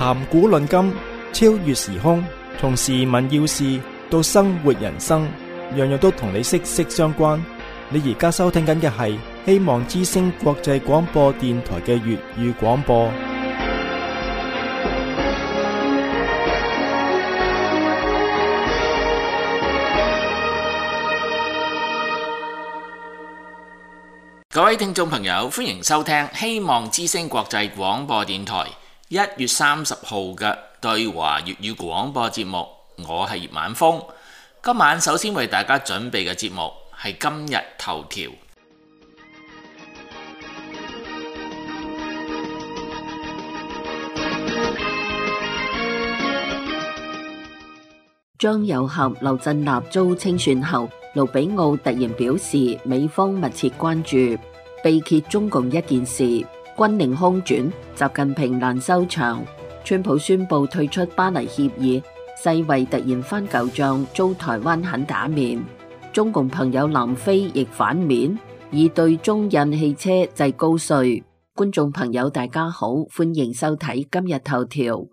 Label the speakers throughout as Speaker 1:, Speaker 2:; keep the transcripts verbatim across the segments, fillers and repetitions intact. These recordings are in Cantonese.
Speaker 1: 談古論今，超越時空，從時聞要事到生活人生，樣樣都同你息息相關。你而家收聽緊嘅係希望之聲國際廣播電台嘅粵語廣播。
Speaker 2: 各位聽眾朋友，歡迎收聽希望之聲國際廣播電台一月三十號嘅對華粵語廣播節目。我係葉晚風，今晚首先為大家準備嘅節目係今日頭條。
Speaker 3: 張又俠、劉振立遭清算後，盧比奧突然表示美方密切關注，被揭中共一件事，軍令空轉，習近平難收場。川普宣布退出巴黎協議，世衛突然翻舊賬，遭台灣狠打面。中共朋友南非亦反面，以對中印汽車制高稅。觀眾朋友大家好，歡迎收睇今日頭條。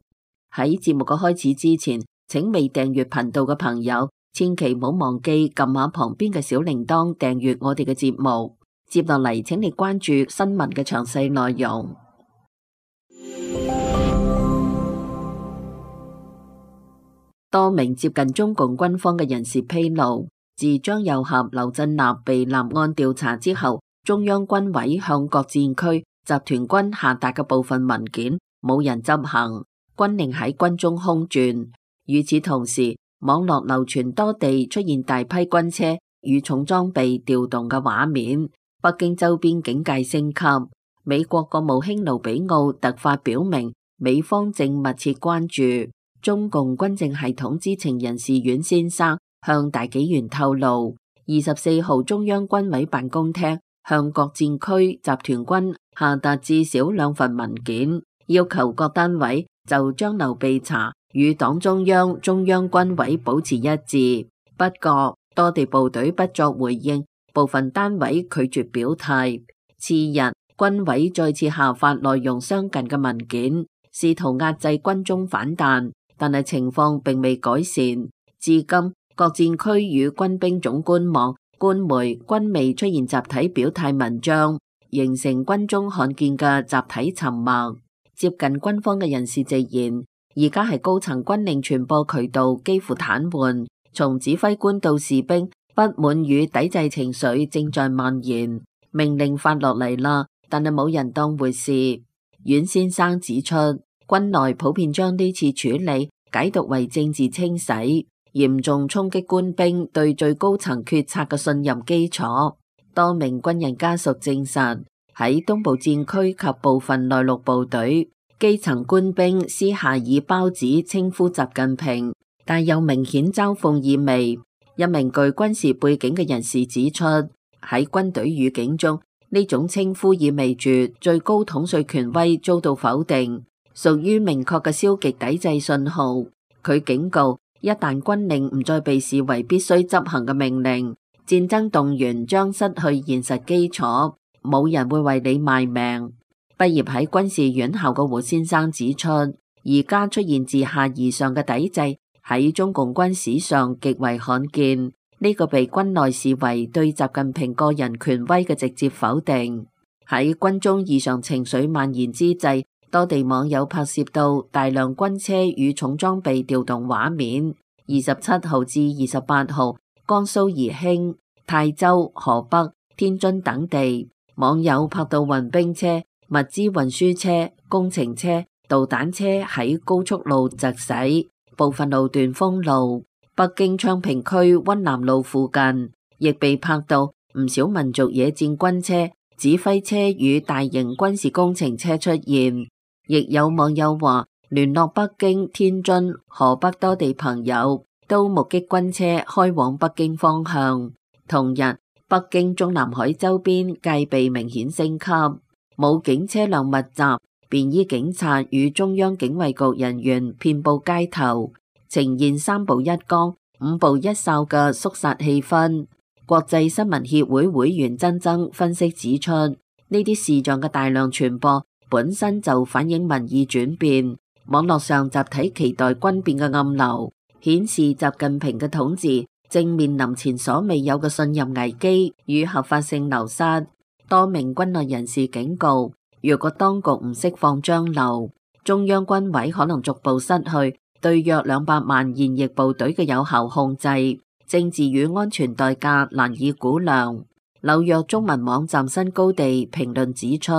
Speaker 3: 喺節目嘅開始之前，請未訂閱頻道嘅朋友，千祈唔好忘記撳下旁邊嘅小鈴鐺訂閱我哋嘅節目。接落嚟，請你關注新聞嘅詳細內容。多名接近中共軍方嘅人士披露，自張又俠、劉振立被立案調查之後，中央軍委向各戰區集團軍下達嘅部分文件冇人執行，軍令喺軍中空轉。與此同時，網絡流傳多地出現大批軍車與重裝備調動嘅畫面，北京周邊警戒升級。美國國務卿盧比奧突發表明，美方正密切關注。中共軍政系統知情人士阮先生向大紀元透露，二十四號中央軍委辦公廳向各戰區集團軍下達至少兩份文件，要求各單位就張劉被查與黨中央、中央軍委保持一致。不過，多地部隊不作回應，部分單位拒絕表態。次日，軍委再次下發內容相近嘅文件，試圖壓制軍中反彈，但係情況並未改善。至今，各戰區與軍兵總官網、官媒均未出現集體表態文章，形成軍中罕見嘅集體沉默。接近軍方嘅人士直言，而家係高層軍令傳播渠道幾乎癱瘓，從指揮官到士兵，不滿與抵制情緒正在蔓延。命令發落嚟啦，但係冇人當回事。阮先生指出，軍內普遍將呢次處理解讀為政治清洗，嚴重衝擊官兵對最高層決策嘅信任基礎。多名軍人家屬證實，喺東部戰區及部分內陸部隊，基層官兵私下以胞子稱呼習近平，但有明顯嘲諷意味。一名具軍事背景嘅人士指出，喺軍隊語境中，呢種稱呼意味住最高統帥權威遭到否定，屬於明確嘅消極抵制信號。佢警告，一旦軍令唔再被視為必須執行嘅命令，戰爭動員將失去現實基礎，冇人會為你賣命。畢業喺軍事院校嘅胡先生指出，而家出現自下而上嘅抵制喺中共軍史上極為罕見，呢個被軍內視為對習近平個人權威嘅直接否定。喺軍中異常情緒蔓延之際，多地網友拍攝到大量軍車與重裝備調動畫面。二十七號至二十八號，江蘇宜興、泰州、河北、天津等地網友拍到運兵車、物資運輸車、工程車、導彈車喺高速路疾駛，部分路段封路。北京昌平區溫南路附近亦被拍到唔少民族野戰軍車、指揮車與大型軍事工程車出現。亦有網友話，聯絡北京、天津、河北多地朋友都目擊軍車開往北京方向。同日，北京中南海周邊戒備明顯升級，武警車輛密集，便衣警察與中央警衛局人員遍佈街頭，呈現三步一崗、五步一哨嘅肅殺氣氛。國際新聞協會會員曾曾分析指出，呢啲視像嘅大量傳播本身就反映民意轉變，網絡上集體期待軍變嘅暗流，顯示習近平嘅統治正面臨前所未有嘅信任危機與合法性流失。多名軍內人士警告，如果當局唔釋放張流，中央軍委可能逐步失去對約兩百萬現役部隊嘅有效控制，政治與安全代價難以估量。紐約中文網站新高地評論指出，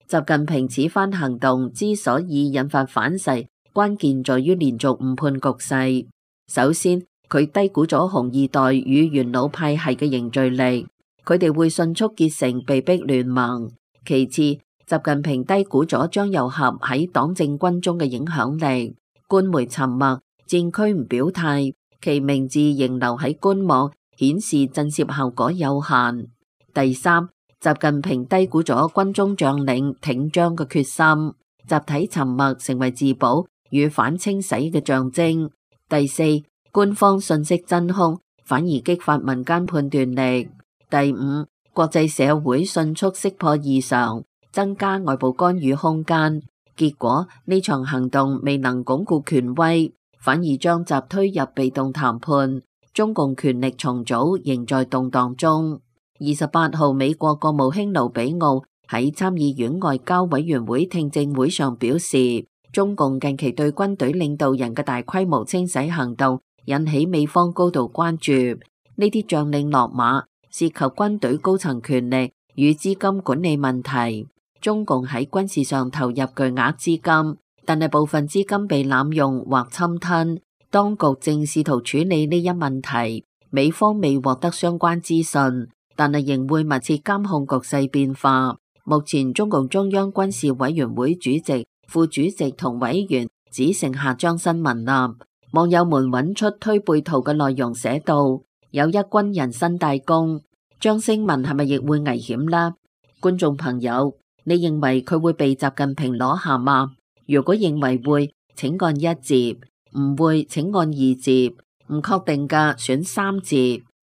Speaker 3: 習近平此番行動之所以引發反噬，關鍵在於連續誤判局勢。首先，佢低估咗紅二代與元老派系嘅凝聚力，佢哋會迅速結成被逼聯盟。其次，習近平低估咗張又俠喺黨政軍中嘅影響力，官媒沉默，戰區唔表態，其名字仍留喺官網，顯示震懾效果有限。第三，習近平低估咗軍中將領挺張嘅決心，集體沉默成為自保與反清洗嘅象徵。第四，官方信息真空，反而激發民間判斷力。第五，國際社會迅速識破異常，增加外部干預空間。結果呢場行動未能鞏固權威，反而將習推入被動談判。中共權力重組仍在動盪中。二十八號，美國國務卿盧比奧喺參議院外交委員會聽證會上表示，中共近期對軍隊領導人嘅大規模清洗行動引起美方高度關注。呢啲將領落馬涉及軍隊高層權力與資金管理問題。中共喺軍事上投入巨額資金，但係部分資金被濫用或侵吞。當局正試圖處理呢一問題，美方未獲得相關資訊，但係仍會密切監控局勢變化。目前中共中央軍事委員會主席、副主席同委員只剩下張新民啦。網友們揾出推背圖嘅內容，寫到有一軍人新大功，張新民係咪亦會危險呢？觀眾朋友，你認為佢會被習近平攞下嗎？如果認為會，請按一字；唔會，請按二字；唔確定嘅選三字。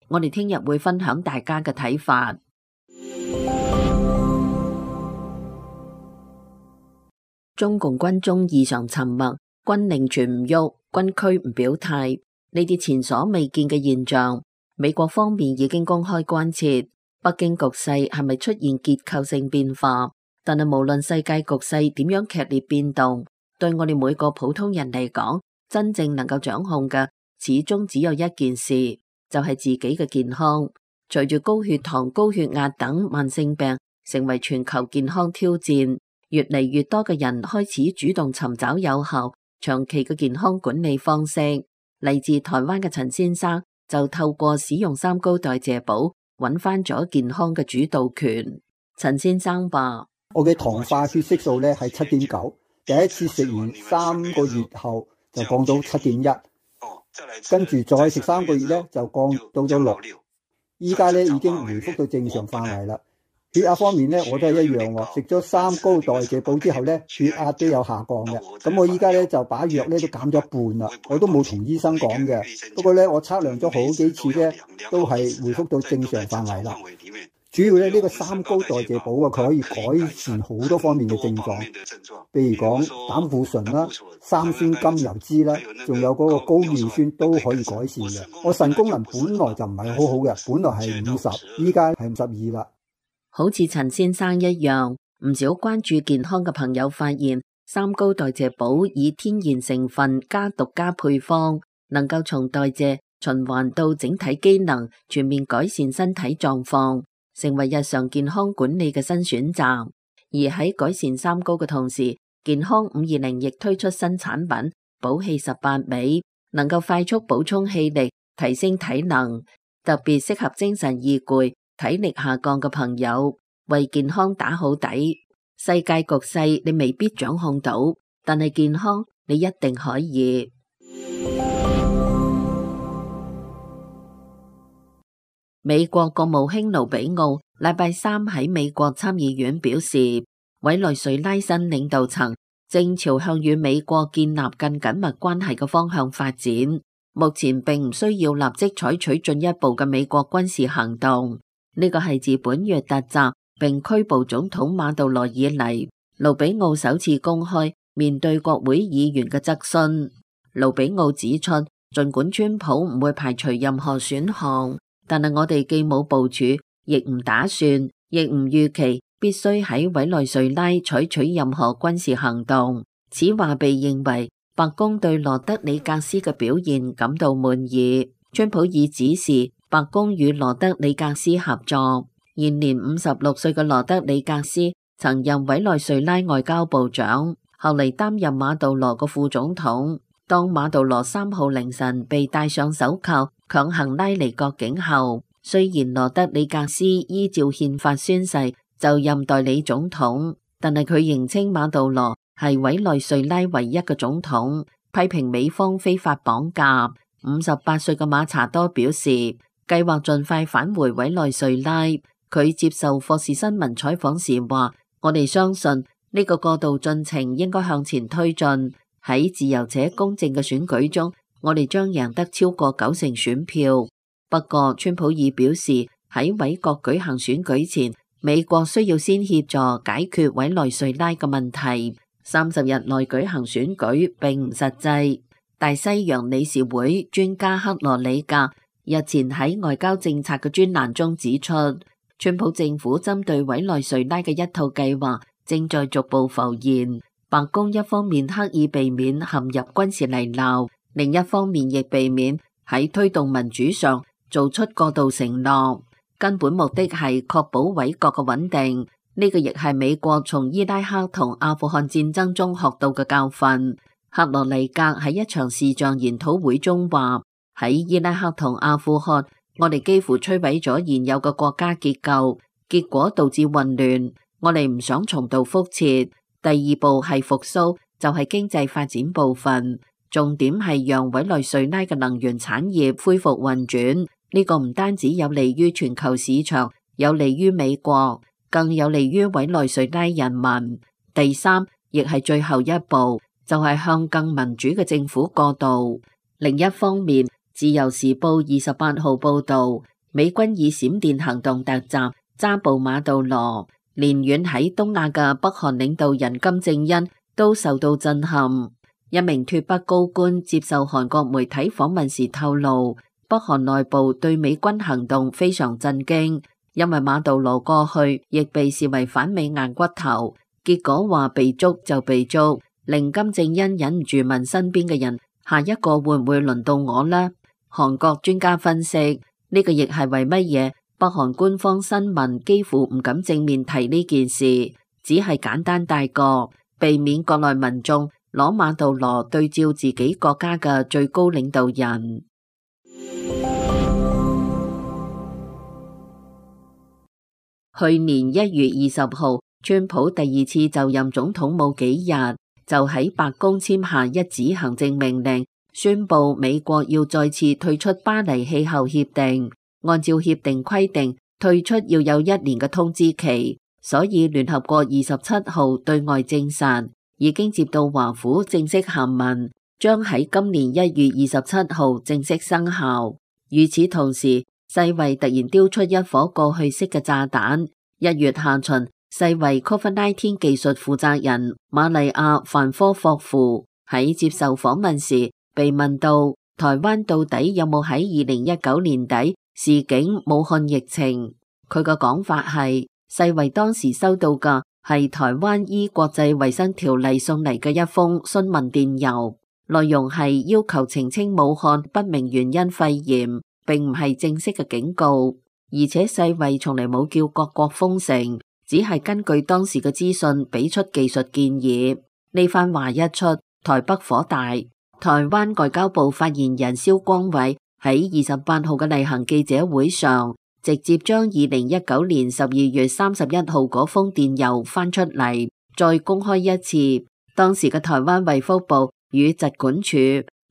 Speaker 3: 我哋聽日會分享大家嘅睇法。中共軍中異常沉默，軍令全唔喐，軍區唔表態，呢啲前所未見嘅現象，美國方面已經公開關切北京局勢係咪出現結構性變化。但係無論世界局勢點樣劇烈變動，對我哋每個普通人嚟講，真正能夠掌控嘅始終只有一件事，就係自己嘅健康。隨住高血糖、高血壓等慢性病成為全球健康挑戰，越嚟越多嘅人開始主動尋找有效、長期嘅健康管理方式。嚟自台灣嘅陳先生就透過使用三高代謝寶，揾翻咗健康嘅主導權。陳先生話：
Speaker 4: 我嘅糖化血色素咧係七點九，第一次食完三個月後就降到七點一，跟住再食三個月咧就降到咗六，依家咧已經回復到正常範圍啦。血壓方面咧我都係一樣喎，食咗三高代謝寶之後咧血壓都有下降嘅。咁我依家咧就把藥咧都減咗一半啦，我都冇同醫生講嘅。不過咧我測量咗好幾次咧都係回復到正常範圍啦。主要咧呢個三高代謝寶啊，佢可以改善好多方面嘅症狀，譬如講膽固醇啦、三酸甘油酯啦，仲有嗰個高尿酸都可以改善嘅。我腎功能本來就唔係好好嘅，本來係五十，依家係五十二啦。
Speaker 3: 好似陳先生一樣，唔少關注健康嘅朋友發現，三高代謝寶以天然成分加獨家配方，能夠從代謝循環到整體機能，全面改善身體狀況，成為日常健康管理嘅新選擇。而喺改善三高嘅同時，健康五二零亦推出新產品補氣十八味，能夠快速補充氣力，提升體能，特別適合精神易攰、體力下降嘅朋友，為健康打好底。世界局勢你未必掌控到，但係健康你一定可以。美國國務卿盧比奧禮拜三喺美國參議院表示，委內瑞拉新領導層正朝向與美國建立更緊密關係嘅方向發展，目前並唔需要立即採取進一步嘅美國軍事行動。呢個係自本月突襲並拘捕總統馬杜羅以嚟，盧比奧首次公開面對國會議員嘅質詢，盧比奧指出，儘管川普唔會排除任何選項，但係我哋既冇部署，亦唔打算，亦唔預期必須喺委內瑞拉採取任何軍事行動。此話被認為白宮對羅德里格斯嘅表現感到滿意。川普已指示白宮與羅德里格斯合作。現年五十六歲嘅羅德里格斯曾任委內瑞拉外交部長，後嚟擔任馬杜羅嘅副總統。當馬杜羅三號凌晨被戴上手銬強行拉離國境後，雖然羅德里格斯依照憲法宣誓就任代理總統，但係佢認稱馬杜羅係委內瑞拉唯一嘅總統，批評美方非法綁架。五十八歲嘅馬查多表示，計劃盡快返回委內瑞拉。佢接受霍士新聞採訪時話：我哋相信呢個過渡進程應該向前推進。喺自由且公正嘅選舉中，我哋將贏得超過九成選票。不過，川普已表示喺委國舉行選舉前，美國需要先協助解決委內瑞拉嘅問題。三十日內舉行選舉並唔實際。大西洋理事會專家克羅里格日前喺外交政策嘅專欄中指出，川普政府針對委內瑞拉嘅一套計劃正在逐步浮現。白宮一方面刻意避免陷入軍事泥淖，另一方面亦避免喺推動民主上做出過度承諾，根本目的係確保委國嘅穩定。呢個亦係美國從伊拉克同阿富汗戰爭中學到嘅教訓。克羅尼格喺一場視像研討會中話：喺伊拉克同阿富汗，我哋幾乎摧毀咗現有嘅國家結構，結果導致混亂。我哋唔想重蹈覆轍。第二步係復甦，就係經濟發展部分，重點係讓委內瑞拉嘅能源產業恢復運轉。呢個唔單止有利於全球市場，有利於美國，更有利於委內瑞拉人民。第三，亦係最後一步，就係向更民主嘅政府過渡。另一方面，《自由時報》二十八號報導，美軍以閃電行動突襲抓捕馬杜羅。連遠喺東亞嘅北韓領導人金正恩都受到震撼。一名脫北高官接受韓國媒體訪問時透露，北韓內部對美軍行動非常震驚，因為馬杜羅過去亦被視為反美硬骨頭，結果話被捉就被捉，令金正恩忍唔住問身邊嘅人：下一個會唔會輪到我呢？韓國專家分析，呢個亦係為乜嘢北韓官方新聞幾乎唔敢正面提呢件事，只係簡單帶過，避免國內民眾攞馬杜羅對照自己國家嘅最高領導人。去年一月二十號，川普第二次就任總統冇幾日，就喺白宮簽下一紙行政命令，宣布美國要再次退出巴黎氣候協定。按照協定規定，退出要有一年嘅通知期，所以聯合國二十七號對外證實，已經接到華府正式函文，將喺今年一月二十七號正式生效。與此同時，世衛突然丟出一顆過去式嘅炸彈。一月下旬，世衛 COVID 十九 技術負責人瑪麗亞范科霍夫喺接受訪問時，被問到台灣到底有冇喺二零一九年底示警武漢疫情，佢嘅講法係世衛當時收到嘅係台灣依國際衛生條例送嚟嘅一封詢問電郵，內容係要求澄清武漢不明原因肺炎，並唔係正式嘅警告。而且世衛從嚟冇叫各國封城，只係根據當時嘅資訊俾出技術建議。呢番話一出，台北火大。台灣外交部發言人蕭光偉喺二十八號嘅例行記者會上，直接將二零一九年十二月三十一號嗰封電郵翻出嚟，再公開一次。當時嘅台灣衛福部與疾管署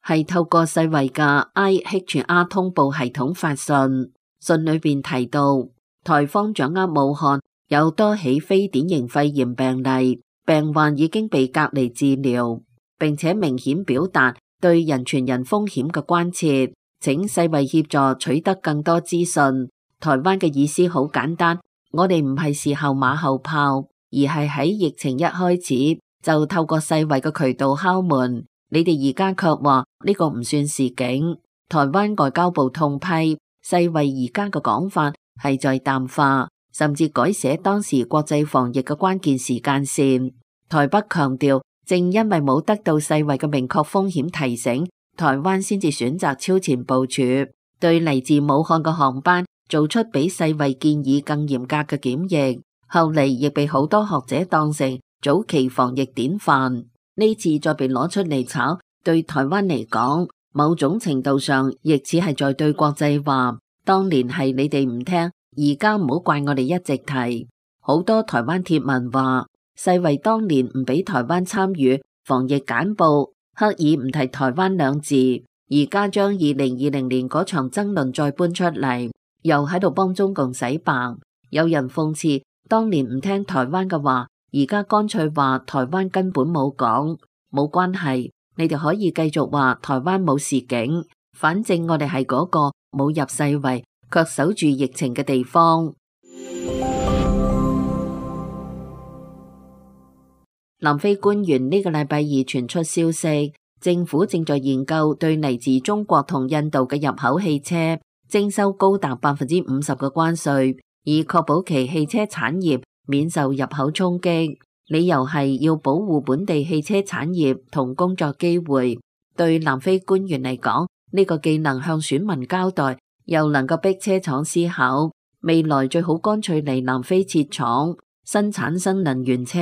Speaker 3: 係透過世衛嘅 I H R 通報系統發信，信裏邊提到台方掌握武漢有多起非典型肺炎病例，病患已經被隔離治療，並且明顯表達對人傳人風險嘅關切，請世衛協助取得更多資訊。台灣嘅意思好簡單，我哋唔係事後馬後炮，而係喺疫情一開始就透過世衛嘅渠道敲門，你哋而家卻話呢個唔算示警。台灣外交部痛批世衛而家嘅講法係在淡化，甚至改寫當時國際防疫嘅關鍵時間線。台北強調，正因為冇得到世衛嘅明確風險提醒，台灣先至選擇超前部署，對嚟自武漢嘅航班做出比世衛建議更嚴格嘅檢疫，後嚟亦被好多學者當成早期防疫典範。呢次再被攞出嚟炒，對台灣嚟講，某種程度上亦似係在對國際話，當年係你哋唔聽，而家唔好怪我哋一直提。好多台灣貼文話，世衛當年唔俾台灣參與防疫簡報，刻意唔提台灣兩字，而家將二零二零年嗰場爭論再搬出嚟，又喺度幫中共洗白。有人諷刺，當年唔聽台灣嘅話，而家乾脆話台灣根本冇講，冇關係，你哋可以繼續話台灣冇示警，反正我哋係嗰個冇入世衛卻守住疫情嘅地方。南非官員呢個禮拜二傳出消息，政府正在研究對嚟自中國同印度嘅入口汽車徵收高達百分之五十嘅關稅，以確保其汽車產業免受入口衝擊。理由係要保護本地汽車產業同工作機會。對南非官員嚟講，呢個既能向選民交代，又能夠逼車廠思考未來最好乾脆嚟南非設廠生產新能源車，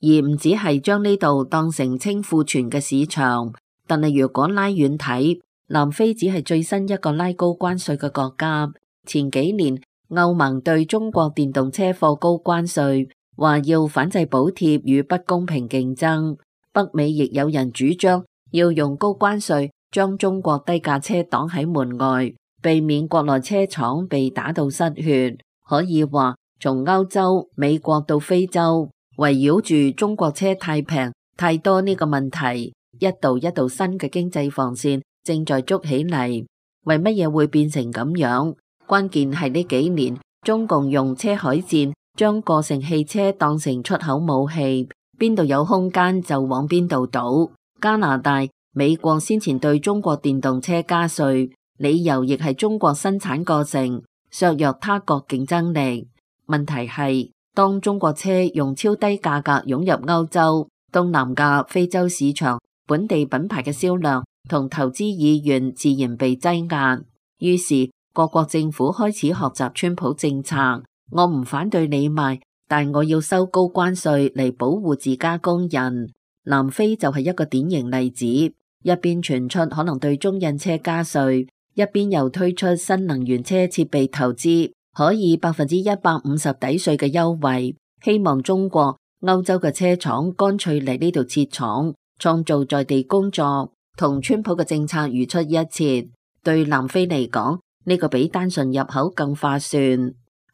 Speaker 3: 而唔只係將呢度當成清庫存嘅市場。但係如果拉遠睇，南非只係最新一個拉高關稅嘅國家。前幾年歐盟對中國電動車課高關稅，話要反制補貼與不公平競爭。北美亦有人主張要用高關稅將中國低價車擋喺門外，避免國內車廠被打到失血。可以話，從歐洲、美國到非洲，圍繞住中國車太平、太多呢個問題，一道一道新嘅經濟防線正在築起嚟。為乜嘢會變成咁樣？關鍵係呢幾年中共用車海戰將個性汽車當成出口武器，邊度有空間就往邊度倒。加拿大、美國先前對中國電動車加稅，理由亦係中國生產過剩，削弱他國競爭力。問題係，當中國車用超低價格湧入歐洲、東南亞、非洲市場，本地品牌嘅銷量同投資意願自然被擠壓。於是各國政府開始學習川普政策，我唔反對你賣，但我要收高關稅嚟保護自家工人。南非就係一個典型例子，一邊傳出可能對中印車加稅，一邊又推出新能源車設備投資可以百分之一百五十抵稅嘅優惠，希望中國、歐洲嘅車廠乾脆嚟呢度設廠，創造在地工作，同川普嘅政策如出一轍。對南非嚟講，呢個比單純入口更划算。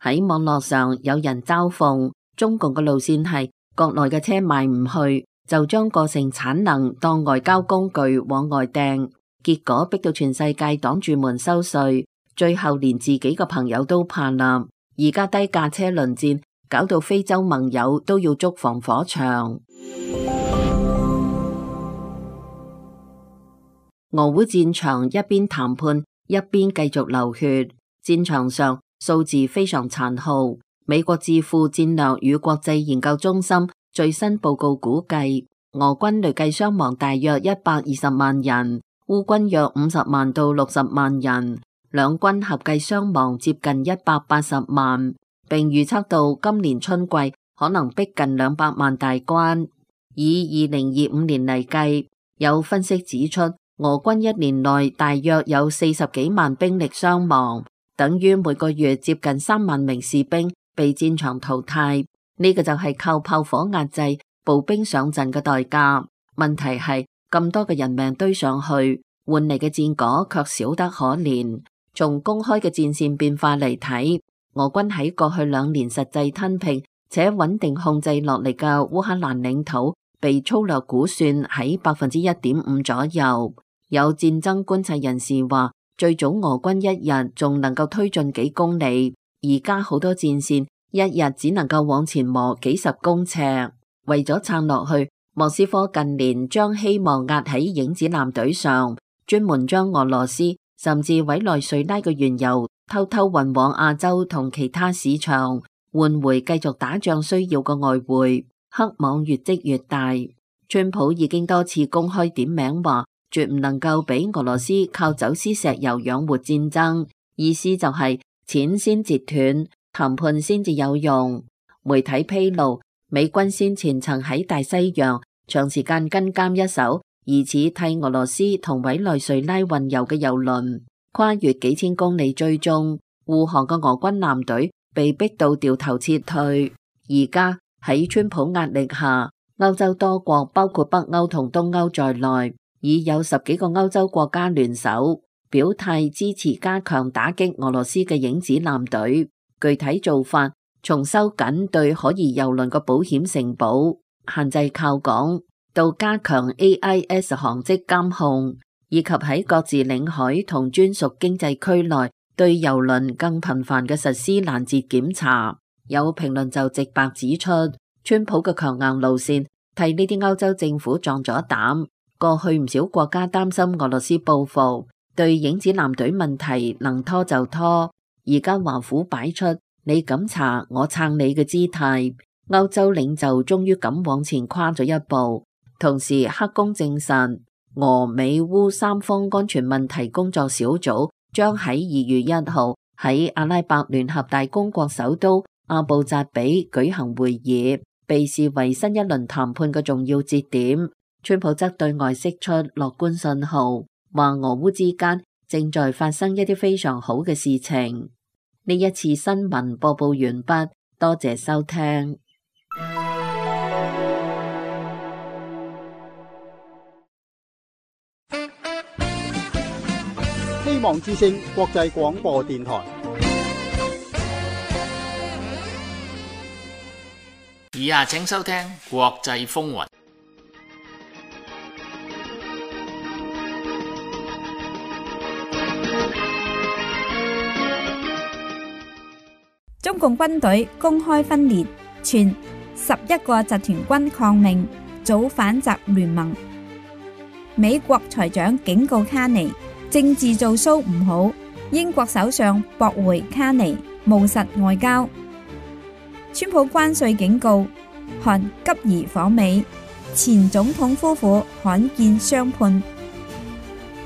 Speaker 3: 喺網絡上有人嘲諷中共嘅路線係國內嘅車賣唔去，就將個性產能當外交工具往外掟，結果逼到全世界擋住門收稅，最後連自己嘅朋友都怕啦。而家低價車輪戰搞到非洲盟友都要築防火牆。俄烏戰場一邊談判一邊繼續流血，戰場上數字非常殘酷。美國智庫戰略與國際研究中心最新報告估計，俄軍累計傷亡大約一百二十萬人，烏軍約五十萬到六十萬人，兩軍合計傷亡接近一百八十萬，並預測到今年春季可能逼近兩百萬大關。以二零二五年嚟計，有分析指出，俄軍一年內大約有四十幾萬兵力傷亡，等於每個月接近三萬名士兵被戰場淘汰。呢個就係靠炮火壓制步兵上陣嘅代價。問題係咁多嘅人命堆上去，換嚟嘅戰果卻少得可憐。從公開嘅戰線變化嚟睇，俄軍喺過去兩年實際吞併且穩定控制落嚟嘅烏克蘭領土，被粗略估算喺百分之一點五左右。有戰爭觀察人士話，最早俄軍一日仲能夠推進幾公里，而家好多戰線一日只能夠往前磨幾十公尺。為咗撐落去，莫斯科近年將希望壓喺影子艦隊上，專門將俄羅斯甚至委內瑞拉嘅原油偷偷運往亞洲同其他市場，換回繼續打仗需要嘅外匯。黑網越積越大，川普已經多次公開點名話，絕唔能夠俾俄羅斯靠走私石油養活戰爭，意思就係錢先截斷，談判先至有用。媒體披露，美軍先前曾喺大西洋長時間跟監一艘疑似替俄羅斯同委內瑞拉運油嘅油輪，跨越幾千公里追蹤護航嘅俄軍艦隊被逼到掉頭撤退。而家喺川普壓力下，歐洲多國包括北歐同東歐在內，已有十幾個歐洲國家聯手表態支持加強打擊俄羅斯嘅影子艦隊。具體做法從收緊對可疑油輪嘅保險承保，限制靠港，到加強 A I S 航跡監控，以及喺各自領海同專屬經濟區內對油輪更頻繁嘅實施攔截檢查。有評論就直白指出，川普嘅強硬路線替呢啲歐洲政府壯咗膽。過去唔少國家擔心俄羅斯報復，對影子艦隊問題能拖就拖，而家華府擺出你敢查我撐你嘅姿態，歐洲領袖終於敢往前跨咗一步。同時黑宮證實，俄美烏三方安全問題工作小組將喺二月一號喺阿拉伯聯合大公國首都阿布扎比舉行會議，被視為新一輪談判嘅重要節點。川普則對外釋出樂觀信號，話俄烏之間正在發生一啲非常好嘅事情。呢一次新聞播報完畢，多謝收聽。
Speaker 5: 希望之聲國際廣播電台。
Speaker 2: 以下請收聽國際風雲。
Speaker 6: 中共軍隊公開分裂，傳十一個集團軍抗命，組反習聯盟。美國財長警告卡尼，政治做騷唔好。英國首相駁回卡尼，務實外交。川普關稅警告，韓急兒訪美，前總統夫婦罕見相判。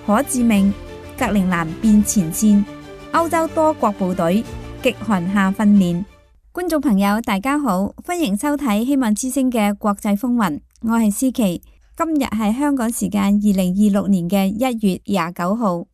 Speaker 6: 可致命，格陵蘭變前線，歐洲多國部隊極寒下訓練。觀眾朋友大家好，歡迎收睇希望之聲嘅國際風雲，我係思琪。今日係香港時間二零二六年嘅一月廿九號。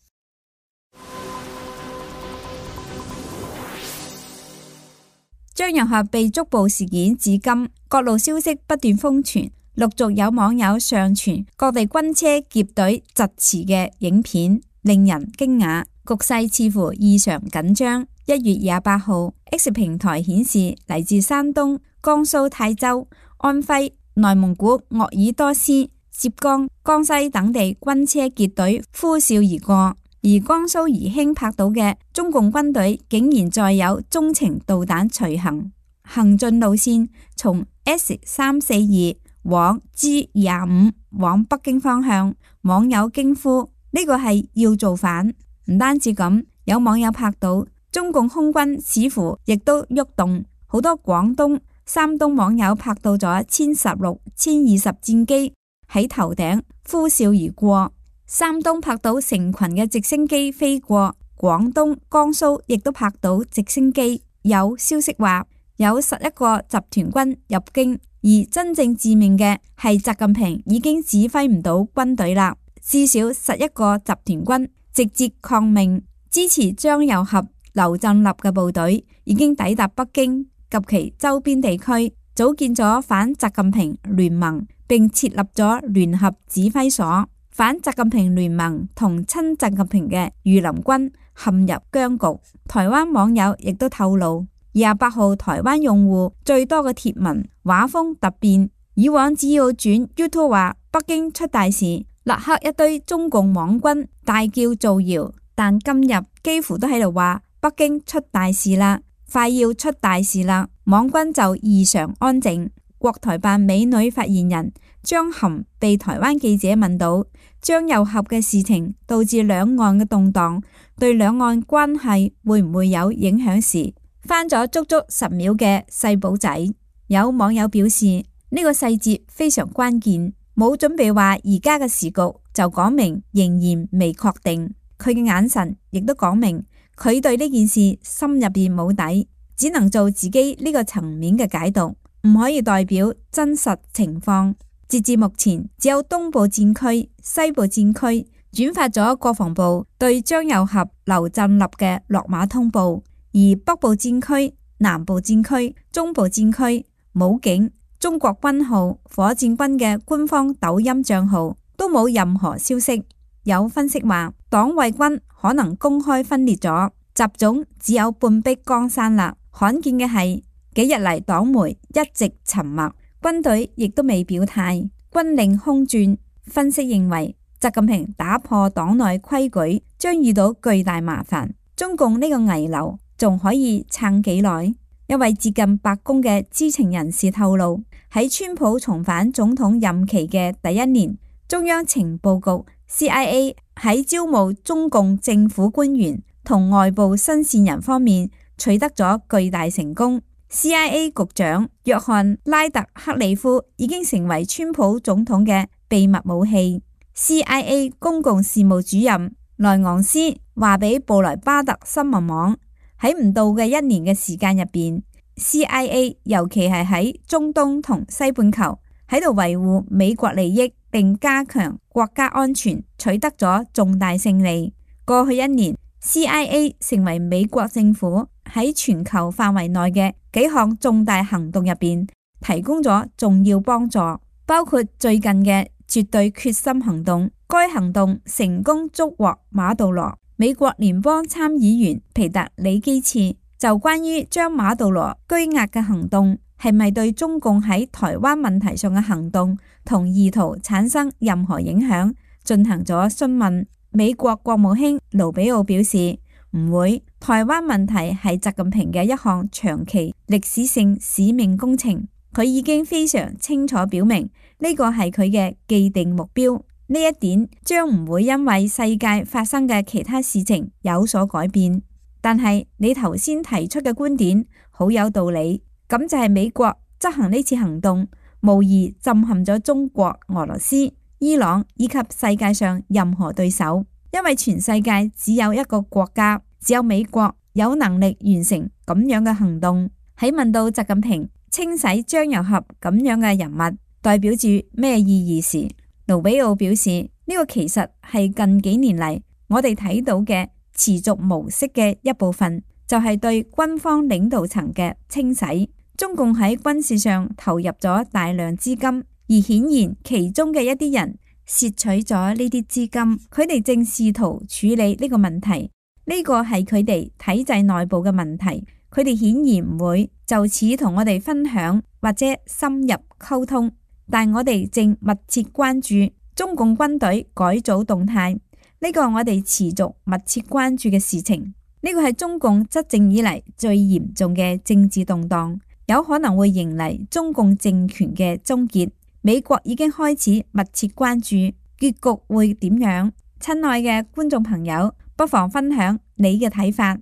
Speaker 6: 張又俠被捉捕事件至今，各路消息不斷瘋傳，陸續有網友上傳各地軍車劫隊疾馳嘅影片，令人驚訝。局勢似乎異常緊張。一月廿八號 X 平台顯示，嚟自山東、江蘇泰州、安徽、內蒙古鄂爾多斯、浙江、江西等地軍車結隊呼嘯而過，而江蘇宜興拍到嘅中共軍隊竟然載有中程導彈隨行，行進路線從 S 三四二往 G 廿五往北京方向，網友驚呼呢個係要造反。唔單止咁，有網友拍到中共空軍似乎亦都喐動，好多廣東、山東網友拍到咗殲十六、殲二十戰機喺頭頂呼嘯而過。山東拍到成群嘅直升機飛過，廣東、江蘇亦都拍到直升機。有消息話有十一個集團軍入京，而真正致命嘅係習近平已經指揮唔到軍隊啦，至少十一個集團軍直接抗命，支持張又俠、劉振立嘅部隊已經抵達北京及其周邊地區，組建咗反習近平聯盟，並設立咗聯合指揮所。反習近平聯盟同親習近平嘅御林軍陷入僵局。台灣網友亦都透露，廿八號台灣用戶最多嘅貼文畫風突變，以往只要轉 YouTube 話北京出大事，立刻一堆中共網軍大叫造謠，但今日幾乎都喺度話北京出大事啦，快要出大事啦，網軍就異常安靜。國台辦美女發言人張含被台灣記者問到張又俠嘅事情導致兩岸嘅動盪，對兩岸關係會唔會有影響時，翻咗足足十秒嘅細簿仔。有網友表示呢個細節非常關鍵，冇準備話而家嘅時局就講明仍然未確定。佢嘅眼神亦都講明佢對呢件事心入邊冇底，只能做自己呢個層面嘅解讀，唔可以代表真實情況。截至目前，只有東部戰區、西部戰區轉發咗國防部對張又俠、劉振立嘅落馬通報，而北部戰區、南部戰區、中部戰區、武警、中國軍號、火箭軍嘅官方抖音賬號都冇任何消息。有分析話，黨衛軍可能公開分裂咗，習總只有半壁江山啦。罕見嘅係幾日嚟黨媒一直沉默。軍隊亦都未表態，軍令空轉。分析認為，習近平打破黨內規矩將遇到巨大麻煩。中共呢個危樓仲可以撐幾耐？一位接近白宮嘅知情人士透露，喺川普重返總統任期嘅第一年，中央情報局 C I A 喺招募中共政府官員同外部新線人方面取得咗巨大成功。C I A 局長約翰拉特克里夫已經成為川普總統嘅秘密武器。C I A 公共事務主任萊昂斯話俾布萊巴特新聞網，喺唔到嘅一年嘅時間入邊 ，C I A 尤其係喺中東同西半球喺度維護美國利益並加強國家安全，取得咗重大勝利。過去一年 C I A 成為美國政府喺全球範圍內嘅幾項重大行動入邊提供咗重要幫助，包括最近嘅絕對決心行動。該行動成功捉獲馬杜羅。美國聯邦參議員皮特里基茨就關於將馬杜羅拘押嘅行動係咪對中共喺台灣問題上嘅行動同意圖產生任何影響進行咗詢問。美國國務卿盧比奧表示唔會，台灣問題係習近平嘅一項長期歷史性使命工程，佢已經非常清楚表明呢個係佢嘅既定目標，呢一點將唔會因為世界發生嘅其他事情有所改變。但係你頭先提出嘅觀點好有道理，咁就係美國執行呢次行動無疑震撼咗中國、俄羅斯、伊朗以及世界上任何對手，因為全世界只有一個國家，只有美國有能力完成咁樣嘅行動。喺問到習近平清洗張又俠咁樣嘅人物代表住咩意義時，盧比奧表示呢個其實係近幾年嚟我哋睇到嘅持續模式嘅一部分，就係對軍方領導層嘅清洗。中共喺軍事上投入咗大量資金，而顯然其中嘅一啲人竊取咗呢啲資金，佢哋正試圖處理呢個問題。呢個係佢哋體制內部嘅問題，佢哋顯然唔會就此同我哋分享或者深入溝通。但我哋正密切關注中共軍隊改組動態，呢個我哋持續密切關注嘅事情。呢個係中共執政以嚟最嚴重嘅政治動盪，有可能會迎嚟中共政權嘅終結。美國已經開始密切關注結局會點樣。親愛嘅觀眾朋友，不妨分享你嘅睇法。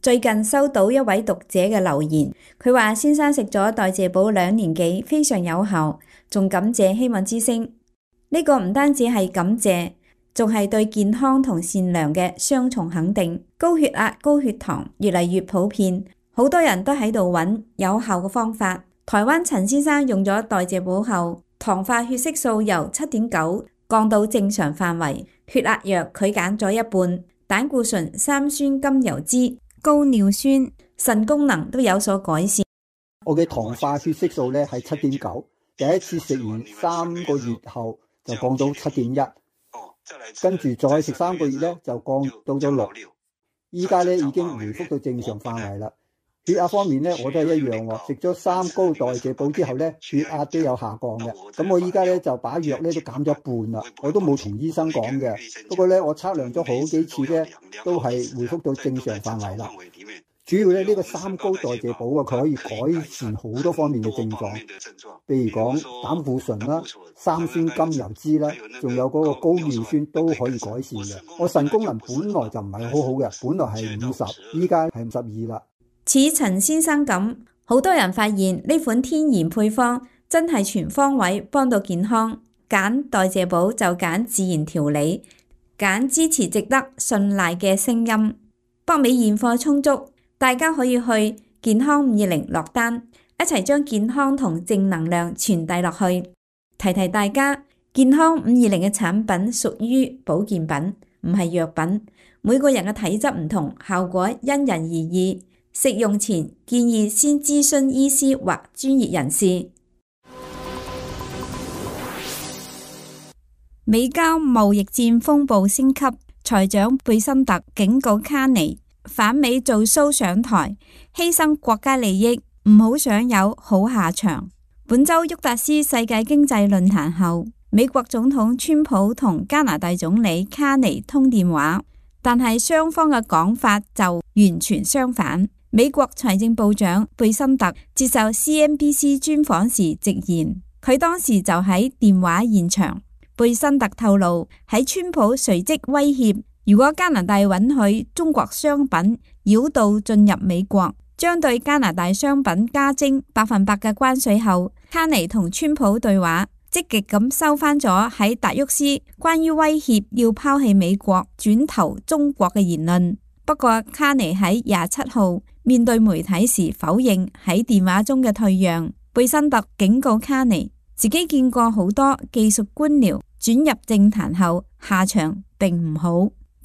Speaker 6: 最近收到一位讀者嘅留言，佢話先生食咗代謝寶兩年幾，非常有效，仲感謝希望之聲。呢個唔單止係感謝，仲係對健康同善良嘅雙重肯定。高血壓、高血糖越嚟越普遍，好多人都喺度揾有效嘅方法。台灣陳先生用咗代謝寶後，糖化血色素由七點九降到正常範圍，血壓藥佢減咗一半，膽固醇、三酸甘油酯、高尿酸、腎功能都有所改善。
Speaker 4: 我嘅糖化血色素咧係七點九，第一次食完三個月後就降到七點一，跟住再食三個月咧就降到咗六，依家咧已經回復到正常範圍啦。血壓方面咧我都係一樣喎，食咗三高代謝寶之後咧血壓都有下降嘅。咁我依家咧就把藥咧都減咗一半啦，我都冇同醫生講嘅。不過咧我測量咗好幾次咧都係回復到正常範圍啦。主要咧呢個三高代謝寶啊，佢可以改善好多方面嘅症狀，譬如講膽固醇啦、三酸甘油酯啦，仲有嗰個高尿酸都可以改善嘅。我腎功能本來就唔係好好嘅，本來係五十，依家係五十二啦。
Speaker 6: 似陳先生咁，好多人發現呢款天然配方真係全方位幫到健康。揀代謝寶就揀自然調理，揀支持值得信賴嘅聲音。北美現貨充足，大家可以去健康五二零落單，一齊將健康同正能量傳遞落去。提提大家，健康五二零嘅產品屬於保健品，唔係藥品。每個人嘅體質唔同，效果因人而異。食用前建議先諮詢醫師或專業人士。美交貿易戰風暴升級，財長貝森特警告卡尼反美做 show 上台，犧牲國家利益，唔好想有好下場。本周沃達斯世界經濟論壇後，美國總統川普同加拿大總理卡尼通電話，但係雙方嘅講法就完全相反。美國財政部長貝森特接受 C N B C 專訪時直言，佢當時就喺電話現場。貝森特透露，喺川普隨即威脅，如果加拿大允許中國商品繞道進入美國，將對加拿大商品加徵百分百嘅關稅後，卡尼同川普對話，積極咁收翻咗喺達沃斯關於威脅要拋棄美國轉投中國嘅言論。不過卡尼喺廿七號面對媒體時否認喺電話中嘅退讓。貝森特警告卡尼，自己見過好多技術官僚轉入政壇後下場並唔好，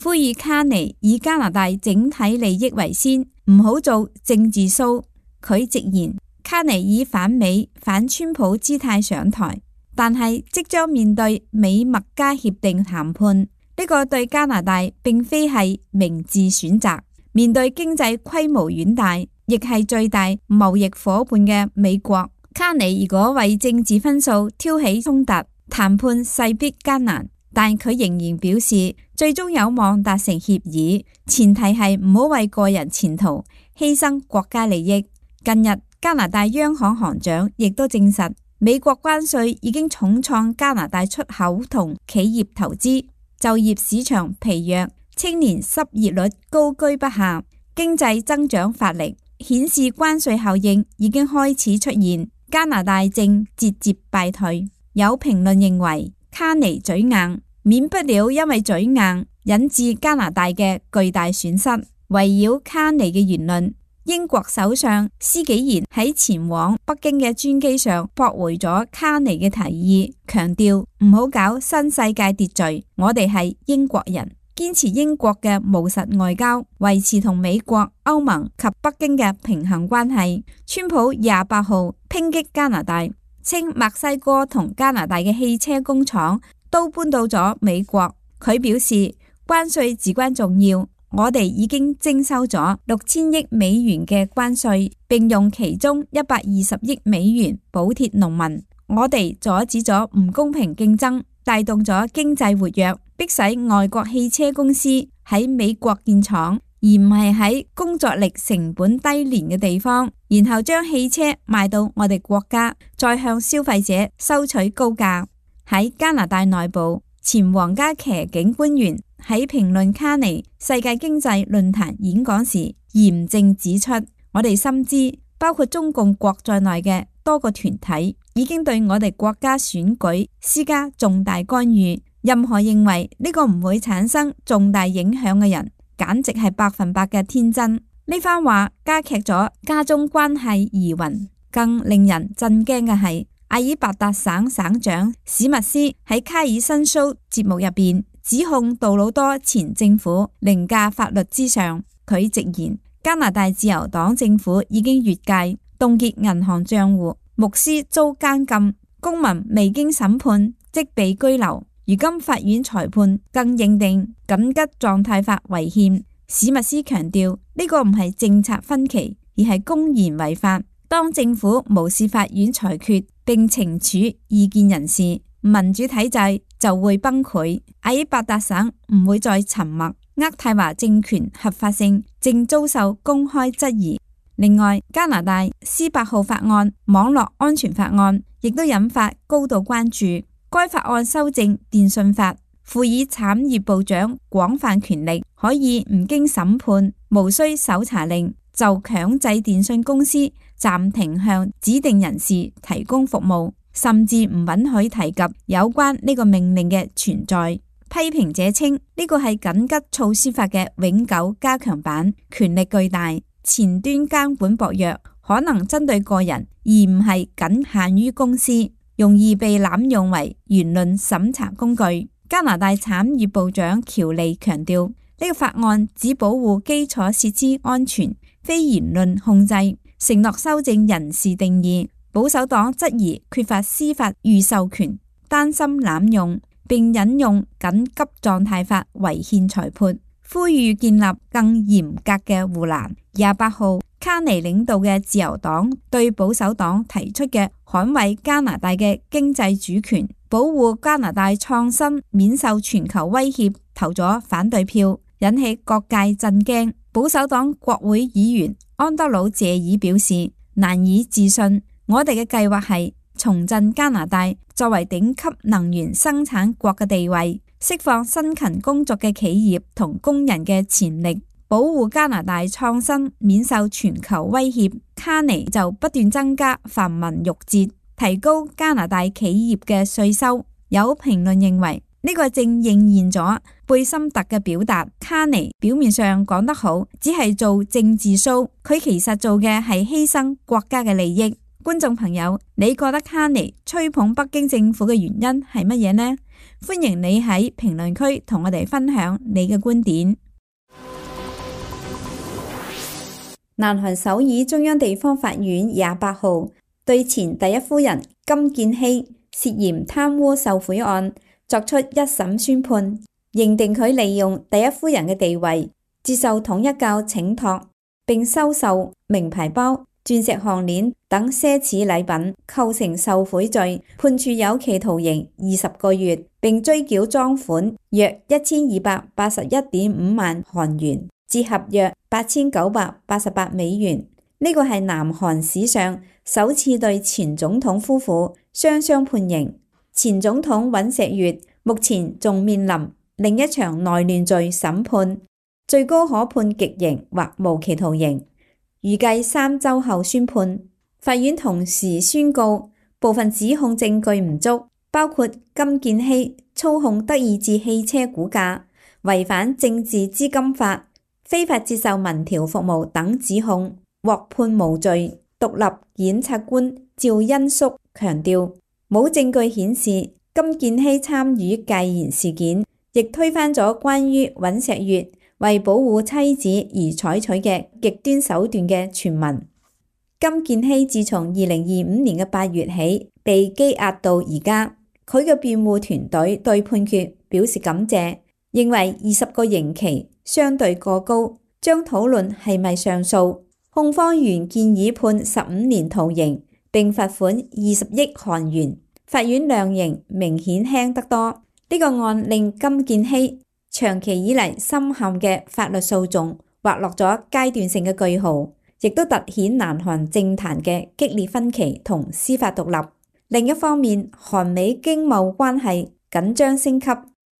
Speaker 6: 呼籲卡尼以加拿大整體利益為先，唔好做政治 show。佢直言，卡尼以反美反川普姿態上台，但係即將面對美墨加協定談判，呢個對加拿大並非係明智選擇。面對經濟規模遠大，亦係最大貿易夥伴嘅美國，卡尼如果為政治分數挑起衝突，談判勢必艱難。但佢仍然表示，最終有望達成協議，前提係唔好為個人前途犧牲國家利益。近日，加拿大央行行長亦都證實，美國關稅已經重創加拿大出口同企業投資，就業市場疲弱，青年失業率高居不下，經濟增長乏力，顯示關稅效應已經開始出現，加拿大正節節敗退。有評論認為，卡尼嘴硬，免不了因為嘴硬引致加拿大嘅巨大損失。圍繞卡尼嘅言論，英國首相施紀賢喺前往北京嘅專機上駁回咗卡尼嘅提議，強調唔好搞新世界秩序，我哋係英國人，堅持英國嘅務實外交，維持同美國、歐盟及北京嘅平衡關係。川普廿八號抨擊加拿大，稱墨西哥同加拿大嘅汽車工廠都搬到咗美國。佢表示關稅至關重要，我哋已經徵收咗六千億美元嘅關稅，並用其中一百二十億美元補貼農民。我哋阻止咗唔公平競爭，帶動咗經濟活躍，迫使外國汽車公司喺美國建廠，而唔係喺工作力成本低廉嘅地方，然後將汽車賣到我哋國家，再向消費者收取高價。喺加拿大內部，前皇家騎警官員喺評論卡尼世界經濟論壇演講時嚴正指出，我哋深知包括中共國在內嘅多個團體已經對我哋國家選舉施加重大干預，任何認為呢個唔會產生重大影響嘅人，簡直係百分百嘅天真。呢番話加劇咗加中關係疑雲。更令人震驚嘅係，阿爾伯達省省長史密斯喺卡爾申蘇節目入邊指控杜魯多前政府凌駕法律之上。佢直言，加拿大自由黨政府已經越界凍結銀行賬戶，牧師遭監禁，公民未經審判即被居留。如今法院裁判更認定緊急狀態法違憲。史密斯強調，呢個唔係政策分歧，而係公然違法。當政府無視法院裁決並懲處異見人士，民主體制就會崩潰。阿爾伯達省唔會再沉默。呢渥太華政權合法性正遭受公開質疑。另外，加拿大 C 八號法案網絡安全法案亦都引發高度關注。該法案修正電訊法，賦予產業部長廣泛權力，可以唔經審判、無需搜查令就強制電訊公司暫停向指定人士提供服務，甚至唔允許提及有關呢個命令嘅存在。批評者稱呢個係緊急措施法嘅永久加強版，權力巨大，前端監管薄弱，可能針對個人而唔係僅限於公司，容易被濫用為言論審查工具。加拿大產業部長喬利強調，呢個法案只保護基礎設施安全，非言論控制，承諾修正人事定義。保守黨質疑缺乏司法預授權，擔心濫用，並引用緊急狀態法違憲裁判，呼籲建立更嚴格嘅護欄。廿八號，卡尼領導嘅自由黨對保守黨提出嘅捍衛加拿大嘅經濟主權、保護加拿大創新免受全球威脅投咗反對票，引起各界震驚。保守黨國會議員安德魯謝爾表示難以置信，我哋嘅計劃係重振加拿大作為頂級能源生產國嘅地位，釋放辛勤工作嘅企業同工人嘅潛力，保護加拿大創新免受全球威脅。卡尼就不斷增加繁文縟節，提高加拿大企業嘅稅收。有評論認為呢個正應驗咗貝森特嘅表達，卡尼表面上講得好，只係做政治 show， 佢其實做嘅係犧牲國家嘅利益。觀眾朋友，你覺得卡尼吹捧北京政府嘅原因係乜嘢呢？歡迎你喺評論區同我哋分享你嘅觀點。南韓首爾中央地方法院廿八號對前第一夫人金建希涉嫌貪污受賄案作出一審宣判，認定佢利用第一夫人嘅地位接受統一教請託，並收受名牌包、鑽石項鏈等奢侈禮品，構成受賄罪，判處有期徒刑二十個月，並追繳贓款約一千二百八十一點五萬韓元，折合約八千九百八十八美元。呢個係南韓史上首次對前總統夫婦雙雙判刑。前總統尹錫悅目前仲面臨另一場內亂罪審判，最高可判極刑或無期徒刑，預計三週後宣判。法院同時宣告部分指控證據唔足，包括金建希操控德意志汽車股價、違反政治資金法、非法接受民調服務等指控，獲判無罪。獨立檢察官趙恩淑強調，冇證據顯示金建希參與戒嚴事件，亦推翻咗關於尹錫悅為保護妻子而採取嘅極端手段嘅傳聞。金建希自從二零二五年嘅八月起被羈押到而家，佢嘅辯護團隊對判決表示感謝，認為二十個刑期相對過高，將討論係咪上訴。控方原建議判十五年徒刑並罰款二十億韓元，法院量刑明顯輕得多。呢、這個案令金建希長期以嚟深陷嘅法律訴訟劃落咗階段性嘅句號，亦都凸顯南韓政壇嘅激烈分歧同司法獨立。另一方面，韓美經貿關係緊張升級，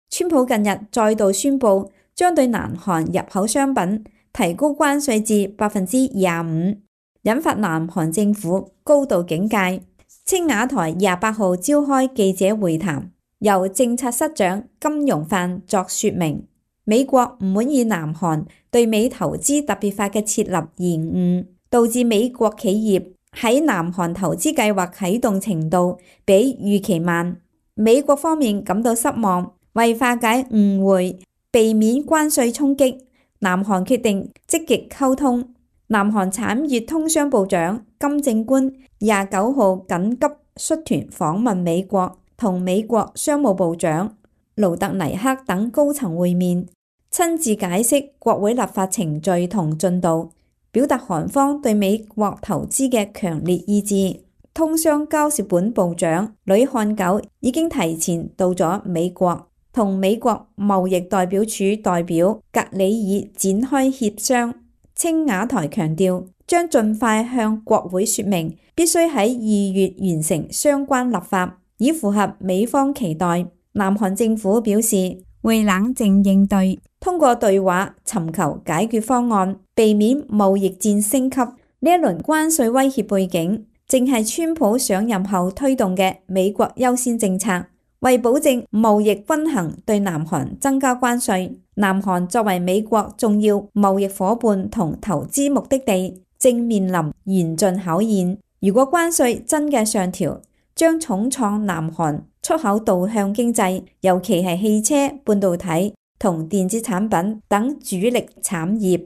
Speaker 6: 川普近日再度宣布將對南韓入口商品提高關稅至百分之廿五，引發南韓政府高度警戒。青瓦台廿八號召開記者會談，由政策室長金容範作說明，美國唔滿意南韓對美投資特別法嘅設立延誤，導致美國企業喺南韓投資計劃啟動程度比預期慢。美國方面感到失望，為化解誤會，避免關稅衝擊，南韓決定積極溝通。南韓產業通商部長金正官廿九號緊急率團訪問美國，同美國商務部長盧特尼克等高層會面，親自解釋國會立法程序同進度，表達韓方對美國投資嘅強烈意志。通商交涉本部長呂漢九已經提前到咗美國。同美國貿易代表處代表格里爾展開協商。青瓦台強調將盡快向國會說明，必須喺二月完成相關立法，以符合美方期待。南韓政府表示會冷靜應對，通過對話尋求解決方案，避免貿易戰升級。呢一輪關稅威脅背景，正係川普上任後推動嘅美國優先政策，為保證貿易均衡，對南韓增加關稅。南韓作為美國重要貿易夥伴同投資目的地，正面臨嚴峻考驗。如果關稅真嘅上調，將重創南韓出口導向經濟，尤其係汽車、半導體同電子產品等主力產業。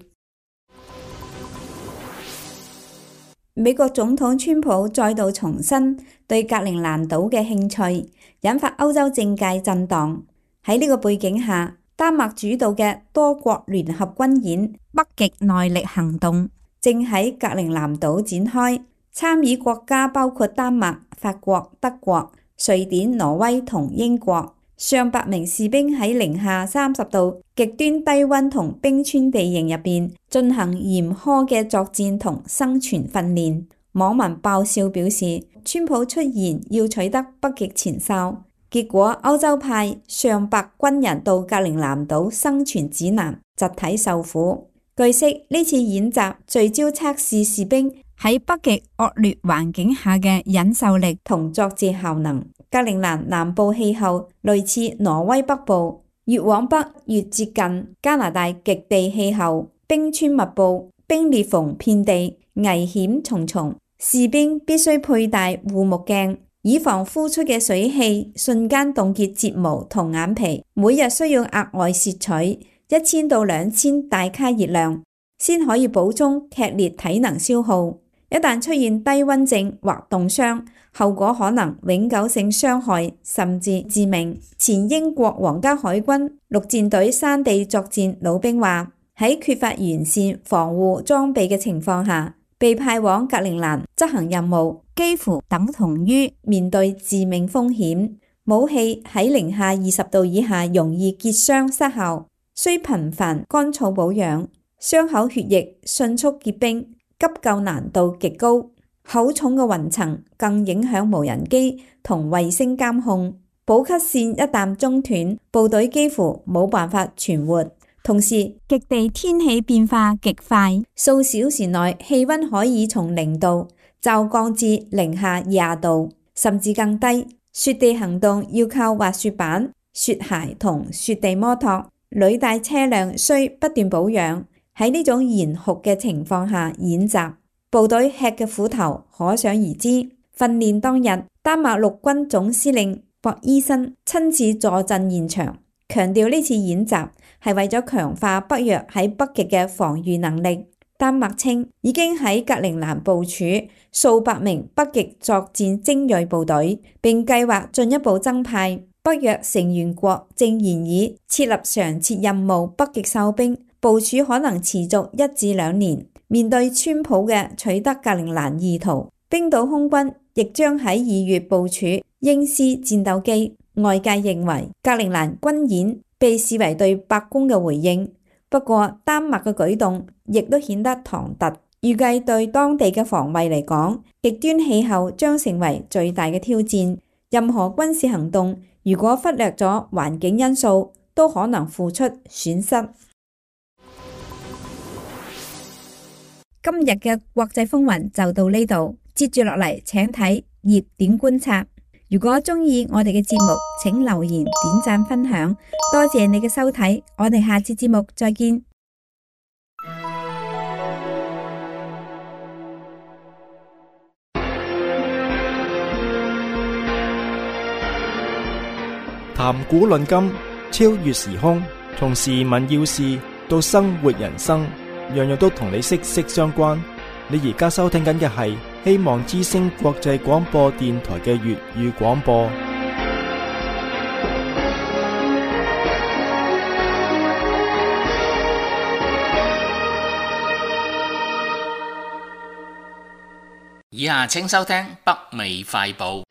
Speaker 6: 美國總統川普再度重申對格陵蘭島嘅興趣，引發歐洲政界震盪。喺呢個背景下，丹麥主導嘅多國聯合軍演北極耐力行動正喺格陵蘭島展開，參與國家包括丹麥、法國、德國、瑞典、挪威同英國。上百名士兵喺零下三十度極端低溫同冰川地形入邊進行嚴苛嘅作戰同生存訓練。網民爆笑表示，川普出言要取得北極前哨，結果歐洲派上百軍人到格陵蘭島生存指南，集體受苦。據悉，呢次演習聚焦測試士兵喺北極惡劣環境下嘅忍受力同作戰效能。格陵蘭南部氣候類似挪威北部，越往北越接近加拿大極地氣候，冰川密布，冰裂縫遍地，危險重重。士兵必須佩戴護目鏡，以防呼出嘅水汽瞬間凍結睫毛同眼皮。每日需要額外攝取一千到兩千大卡熱量，先可以補充劇烈體能消耗。一旦出現低溫症或凍傷，後果可能永久性傷害甚至致命。前英國皇家海軍陸戰隊山地作戰老兵話，喺缺乏完善防護裝備嘅情況下，被派往格陵蘭執行任務，幾乎等同於面對致命風險。武器喺零下二十度以下容易結霜失效，需頻繁乾燥保養，傷口血液迅速結冰，急救難度極高。厚重嘅雲層更影響無人機同衛星監控，補給線一旦中斷，部隊幾乎冇辦法存活。同時，極地天氣變化極快，數小時內氣溫可以從零度驟降至零下廿度，甚至更低。雪地行動要靠滑雪板、雪鞋同雪地摩托，履帶車輛需不斷保養。喺呢種嚴酷嘅情況下演習，部隊吃嘅苦頭可想而知。訓練當日，丹麥陸軍總司令博伊森親自坐鎮現場，強調呢次演習係為咗強化北約喺北極嘅防禦能力。丹麥稱已經喺格陵蘭部署數百名北極作戰精銳部隊，並計劃進一步增派。北約成員國正研議設立常設任務北極哨兵，部署可能持續一至兩年。面對川普嘅取得格陵蘭意圖，冰島空軍亦將喺二月部署鷹獅戰鬥機。外界認為格陵蘭軍演被視為對白宮嘅回應，不過丹麥嘅舉動亦都顯得唐突。預計對當地嘅防衛嚟講，極端氣候將成為最大嘅挑戰。任何軍事行動如果忽略咗環境因素，都可能付出損失。今日嘅國際風雲就到呢度，接住落嚟請睇熱點觀察。如果中意我哋嘅節目，請留言、點讚、分享，多謝你嘅收睇，我哋下次節目再見。
Speaker 1: 談古論今，超越時空，從時聞要事到生活人生，樣樣都同你息息相關。你而家收聽緊嘅係希望之聲國際廣播電台嘅粵語廣播。
Speaker 2: 以下請收聽北美快報。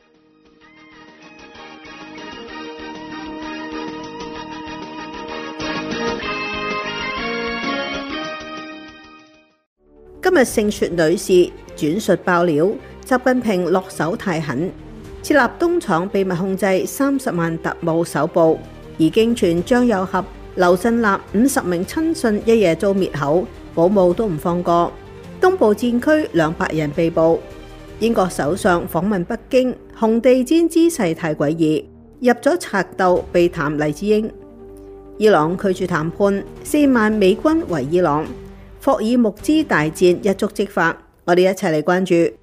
Speaker 7: 日盛雪女士轉述爆料，習近平落手太狠，設立東廠秘密控制三十萬特務搜捕，而經傳張又俠、劉振立五十名親信一夜遭滅口，保姆都唔放過。東部戰區兩百人被捕。英國首相訪問北京，紅地毯姿勢太詭異，入咗賊竇被談黎智英。伊朗拒絕談判，四萬美軍圍伊朗，霍爾木茲大戰一觸即發。我哋一齊嚟關注。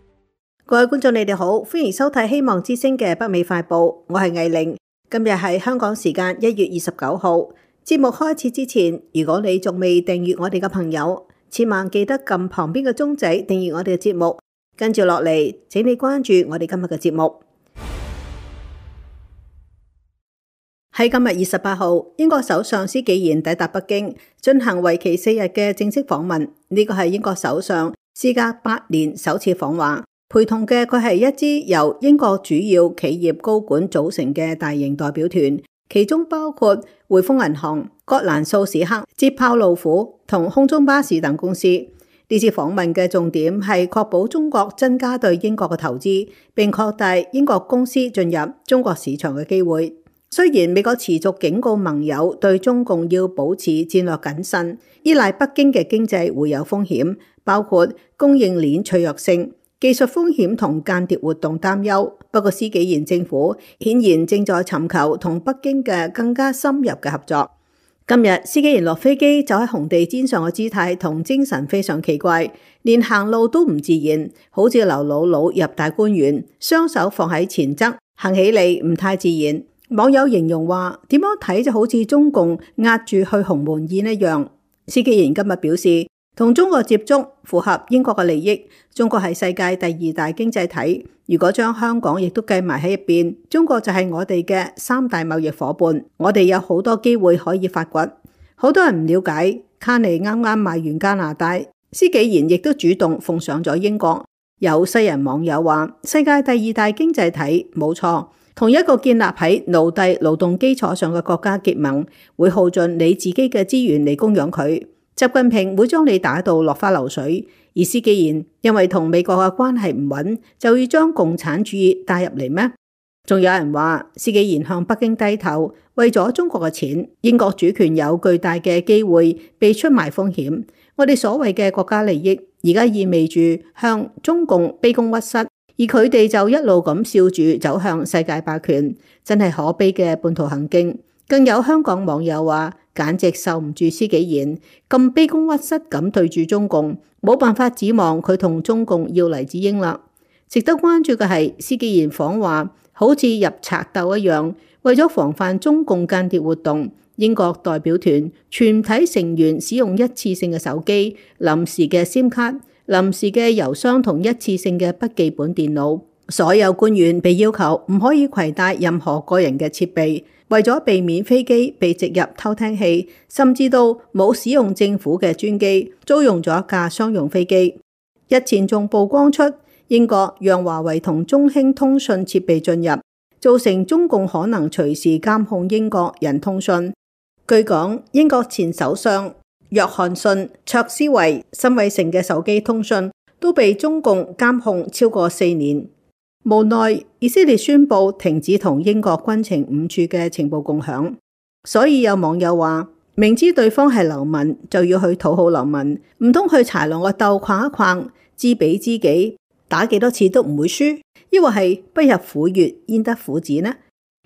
Speaker 7: 各位觀眾，你哋好，歡迎收睇希望之聲嘅北美快報，我係藝玲。今日係香港時間一月二十九號。節目開始之前，如果你仲未訂閱我哋嘅朋友，千萬記得撳旁邊嘅鐘仔訂閱我哋嘅節目。跟住落嚟，請你關注我哋今日嘅節目。喺今日二十八號，英國首相施紀賢抵達北京，進行為期四日嘅正式訪問。呢個係英國首相事隔八年首次訪華，陪同嘅佢係一支由英國主要企業高管組成嘅大型代表團，其中包括匯豐銀行、葛蘭素史克、捷豹路虎同空中巴士等公司。呢次訪問嘅重點係確保中國增加對英國嘅投資，並擴大英國公司進入中國市場嘅機會。雖然美國持續警告盟友對中共要保持戰略謹慎，依賴北京嘅經濟會有風險，包括供應鏈脆弱性、技術風險同間諜活動擔憂。不過施紀賢政府顯然正在尋求同北京嘅更加深入嘅合作。今日施紀賢落飛機走喺紅地毯上嘅姿態同精神非常奇怪，連行路都唔自然，好似劉姥姥入大觀園，雙手放喺前側，行起嚟唔太自然。網友形容話，點樣睇就好似中共壓住去鴻門宴一樣。施紀賢今日表示，同中國接觸符合英國嘅利益。中國係世界第二大經濟體，如果將香港亦都計埋喺入邊，中國就係我哋嘅三大貿易夥伴。我哋有好多機會可以發掘。好多人唔了解，卡尼啱啱買完加拿大，施紀賢亦都主動奉上咗英國。有西人網友話，世界第二大經濟體冇錯，同一個建立喺奴隸勞動基礎上嘅國家結盟，會耗盡你自己嘅資源嚟供養佢。習近平會將你打到落花流水，而施紀賢因為同美國嘅關係唔穩，就要將共產主義帶入嚟咩？仲有人話，施紀賢向北京低頭，為咗中國嘅錢，英國主權有巨大嘅機會被出賣風險。我哋所謂嘅國家利益，而家意味住向中共卑躬屈膝，而佢哋就一路咁笑住走向世界霸權，真係可悲嘅叛徒行徑。更有香港網友話，簡直受唔住施紀賢咁卑躬屈膝咁對住中共，冇辦法指望佢同中共要黎智英啦。值得關注嘅係施紀賢訪華好似入賊竇一樣，為咗防範中共間諜活動，英國代表團全體成員使用一次性嘅手機、臨時嘅 SIM 卡、臨時嘅郵箱同一次性嘅筆記本電腦。所有官員被要求唔可以攜帶任何個人嘅設備，為咗避免飛機被植入偷聽器，甚至到冇使用政府嘅專機，租用咗一架商用飛機。日前仲曝光出英國讓華為同中興通訊設備進入，造成中共可能隨時監控英國人通訊。據講，英國前首相約翰遜、卓斯維、辛偉誠嘅手機通訊都被中共監控超過四年。無奈以色列宣布停止同英國軍情五處嘅情報共享，所以有網友話，明知對方係流民就要去討好流民，唔通去豺狼個竇逛一逛，知彼知己，打幾多次都唔會輸，抑或係不入虎穴焉得虎子呢？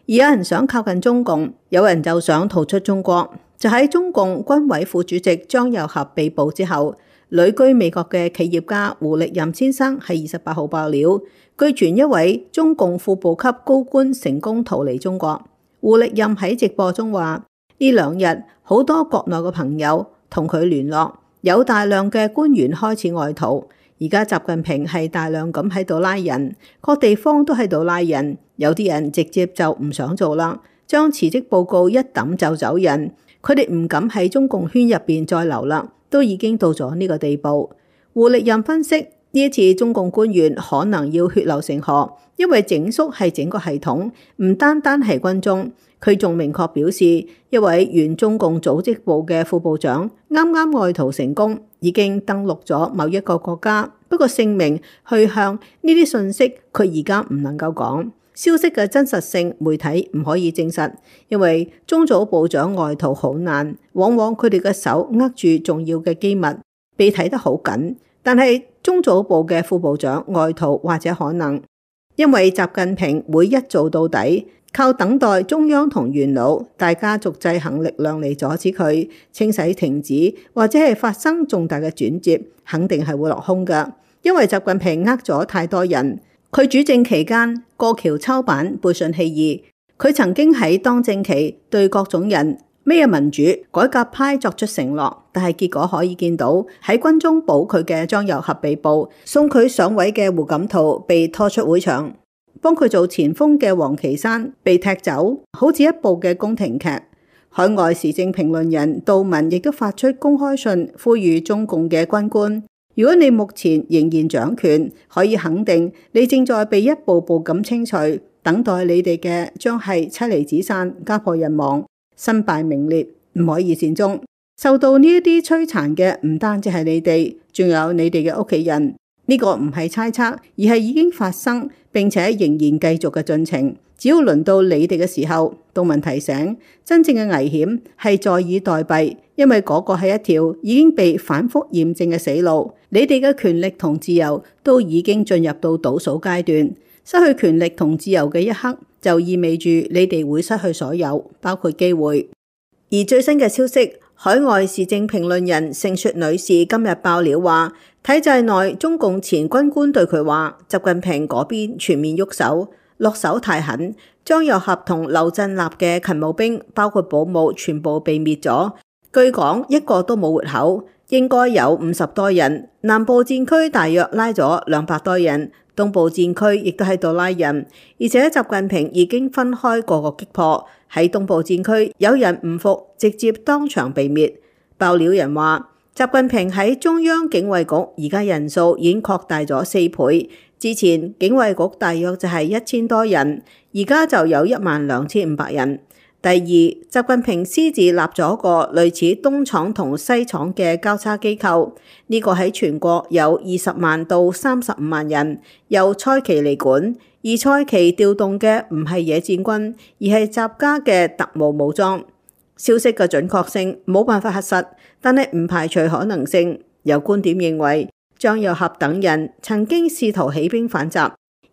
Speaker 7: 而有人想靠近中共，有人就想逃出中國。就喺中共軍委副主席張又俠被捕之後，旅居美國嘅企業家胡力任先生喺二十八號爆料，據傳一位中共副部級高官成功逃離中國。胡力任喺直播中話，呢兩日好多國內嘅朋友同佢聯絡，有大量嘅官員開始外逃。而家習近平係大量咁喺度拉人，各地方都喺度拉人，有啲人直接就唔想做啦，將辭職報告一抌就走人。佢哋唔敢喺中共圈入邊再留啦，都已經到咗呢個地步。胡力任分析，呢一次中共官員可能要血流成河，因為整肅係整個系統，唔單單係軍中。佢仲明確表示，一位原中共組織部嘅副部長啱啱外逃成功，已經登陸咗某一個國家。不過姓名、去向呢啲信息，佢而家唔能夠講。消息嘅真實性，媒體唔可以證實，因為中組部長外逃好難，往往佢哋嘅手握住重要嘅機密，被睇得好緊。但係中組部嘅副部長外逃或者可能，因為習近平會一做到底。靠等待中央同元老大家族制衡力量嚟阻止佢清洗停止，或者係發生重大嘅轉折，肯定係會落空㗎。因為習近平呃咗太多人，佢主政期間過橋抄板、背信棄義。佢曾經喺當政期對各種人咩民主改革派作出承諾，但係結果可以見到喺軍中保佢嘅張又俠被捕，送佢上位嘅胡錦濤被拖出會場。幫佢做前鋒嘅王岐山被踢走，好似一部嘅宮廷劇。海外時政評論人杜文亦都發出公開信，呼籲中共嘅軍官：如果你目前仍然掌權，可以肯定你正在被一步步咁清除，等待你哋嘅將係妻離子散、家破人亡、身敗名裂，唔可以善終。受到呢一啲摧殘嘅唔單止係你哋，仲有你哋嘅屋企人。呢個唔係猜測，而係已經發生並且仍然繼續嘅進程。只要輪到你哋嘅時候，杜文提醒，真正嘅危險係坐以待斃，因為嗰個係一條已經被反覆驗證嘅死路。你哋嘅權力同自由都已經進入到倒數階段，失去權力同自由嘅一刻，就意味住你哋會失去所有，包括機會。而最新嘅消息，海外時政評論人盛雪女士今日爆料話，體制內中共前軍官對佢話，習近平嗰邊全面喐手，落手太狠，張又俠同劉振立嘅勤務兵，包括保姆，全部被滅咗。據講一個都冇活口，應該有五十多人。南部戰區大約拉咗兩百多人，東部戰區亦都喺度拉人，而且習近平已經分開個個擊破。喺東部戰區有人唔服，直接當場被滅。爆料人話，習近平喺中央警衛局而家人數已經擴大咗四倍，之前警衛局大約就係一千多人，而家就有一萬兩千五百人。第二，習近平私自立咗個類似東廠同西廠嘅交叉機構，呢、這個喺全國有二十萬到三十五萬人，由蔡奇嚟管。而蔡奇調動嘅唔係野戰軍，而係習家嘅特務武裝。消息嘅準確性冇辦法核實，但係唔排除可能性。有觀點認為，張又俠等人曾經試圖起兵反習，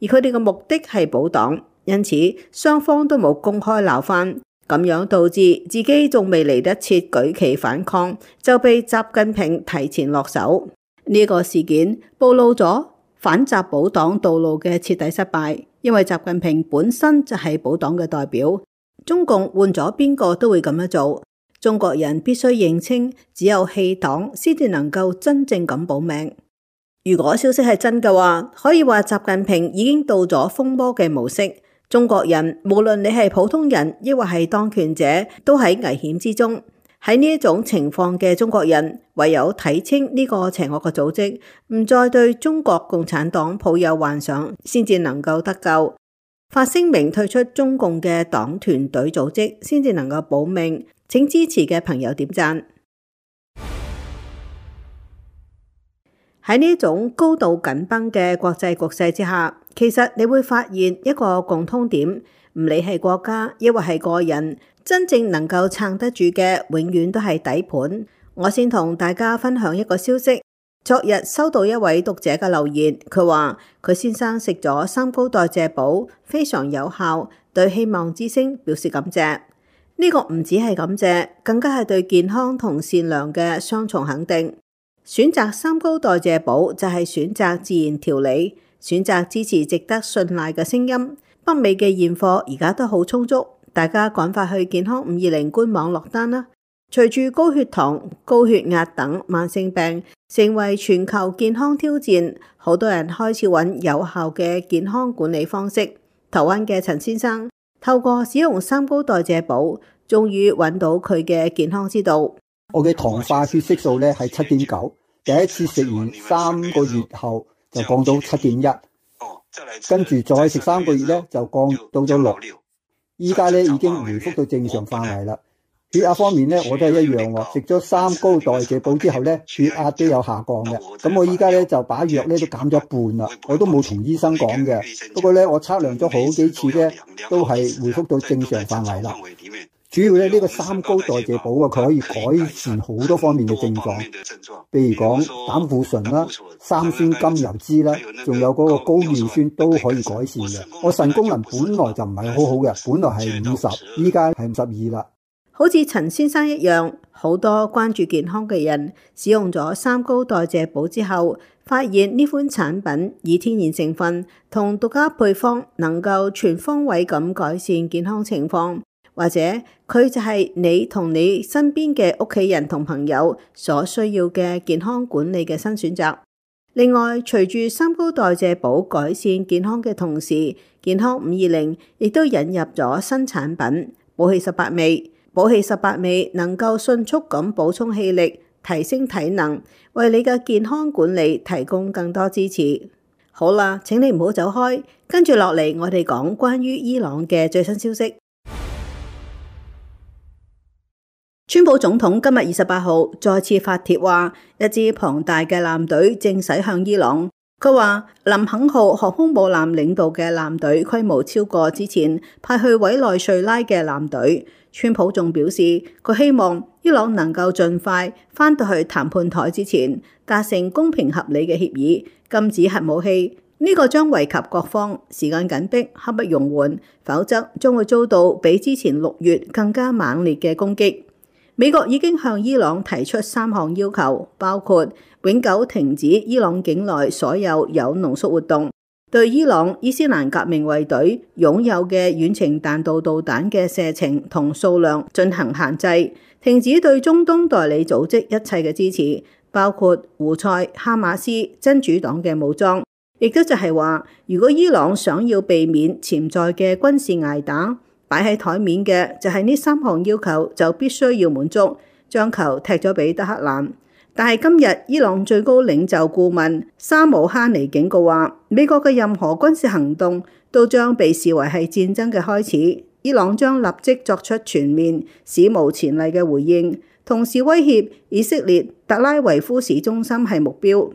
Speaker 7: 而佢哋嘅目的係保黨，因此雙方都冇公開鬧翻，咁樣導致自己仲未嚟得切舉旗反抗，就被習近平提前落手。呢、這個事件暴露咗反習保黨道路嘅徹底失敗，因為習近平本身就係保黨嘅代表。中共換咗邊個都會咁樣做。中國人必須認清，只有棄黨先至能夠真正咁保命。如果消息係真嘅話，可以話習近平已經到咗瘋魔嘅模式。中國人無論你係普通人，抑或係當權者，都喺危險之中。喺呢一種情況嘅中國人，唯有睇清呢個邪惡嘅組織，唔再對中國共產黨抱有幻想，先至能夠得救。發聲明退出中共嘅黨團隊組織，先至能夠保命。請支持嘅朋友點讚。喺呢種高度緊繃嘅國際局勢之下，其實你會發現一個共通點，唔理係國家抑或係個人，真正能夠撐得住嘅，永遠都係底盤。我先同大家分享一個消息，昨日收到一位讀者嘅留言，佢話佢先生食咗三高代謝寶，非常有效，對希望之聲表示感謝。呢個唔止係感謝，更加係對健康同善良嘅雙重肯定。選擇三高代謝寶就係選擇自然調理，選擇支持值得信賴嘅聲音。北美嘅現貨而家都好充足，大家趕快去健康五二零官網落單啦！隨住高血糖、高血壓等慢性病成為全球健康挑戰，好多人開始揾有效嘅健康管理方式。台灣嘅陳先生透過使用三高代謝寶，終於揾到佢嘅健康之道。
Speaker 4: 我嘅糖化血色素咧係七點九，第一次食完三個月後就降到七點一，跟住再食三個月咧就降到咗六，依家咧已經回復到正常範圍啦。血壓方面咧，我都係一樣喎，食咗三高代謝補之後咧，血壓都有下降嘅。咁我依家咧就把藥咧都減咗一半啦，我都冇同醫生講嘅。不過咧，我測量咗好幾次咧，都係回復到正常範圍啦。主要咧呢個三高代謝補啊，佢可以改善好多方面嘅症狀，譬如講膽固醇啦、三酸甘油酯啦，仲有嗰個高尿酸都可以改善嘅。我腎功能本來就唔係好好嘅，本來係五十，依家係五十二啦。
Speaker 7: 好似陳先生一樣，好多關注健康嘅人使用咗三高代謝補之後，發現呢款產品以天然成分同獨家配方能夠全方位咁改善健康情況，或者佢就係你同你身邊嘅屋企人同朋友所需要嘅健康管理嘅新選擇。另外，隨住三高代謝補改善健康嘅同時，健康五二零亦都引入咗新產品補氣十八味。補氣十八味能夠迅速咁補充氣力，提升體能，為你嘅健康管理提供更多支持。好啦，請你唔好走開，跟住落嚟我哋講關於伊朗嘅最新消息。川普總統今日二十八號再次發帖話，一支龐大嘅艦隊正駛向伊朗。佢話林肯號航空母艦領導嘅艦隊規模超過之前派去委內瑞拉嘅艦隊。川普仲表示，佢希望伊朗能夠盡快返到去談判台之前達成公平合理嘅協議，禁止核武器。呢、這個將惠及各方，時間緊迫，刻不容緩，否則將會遭到比之前六月更加猛烈嘅攻擊。美國已經向伊朗提出三項要求，包括永久停止伊朗境內所有有濃縮活動，對伊朗伊斯蘭革命衛隊擁有嘅遠程彈道導彈嘅射程同數量進行限制，停止對中東代理組織一切嘅支持，包括胡塞、哈馬斯、真主黨嘅武裝。亦都就係話，如果伊朗想要避免潛在嘅軍事捱打，擺喺台面嘅就係呢三項要求，就必須要滿足，將球踢咗俾德黑蘭。但係今日伊朗最高領袖顧問沙姆哈尼警告話，美國嘅任何軍事行動都將被視為係戰爭嘅開始，伊朗將立即作出全面史無前例嘅回應，同時威脅以色列特拉維夫市中心係目標。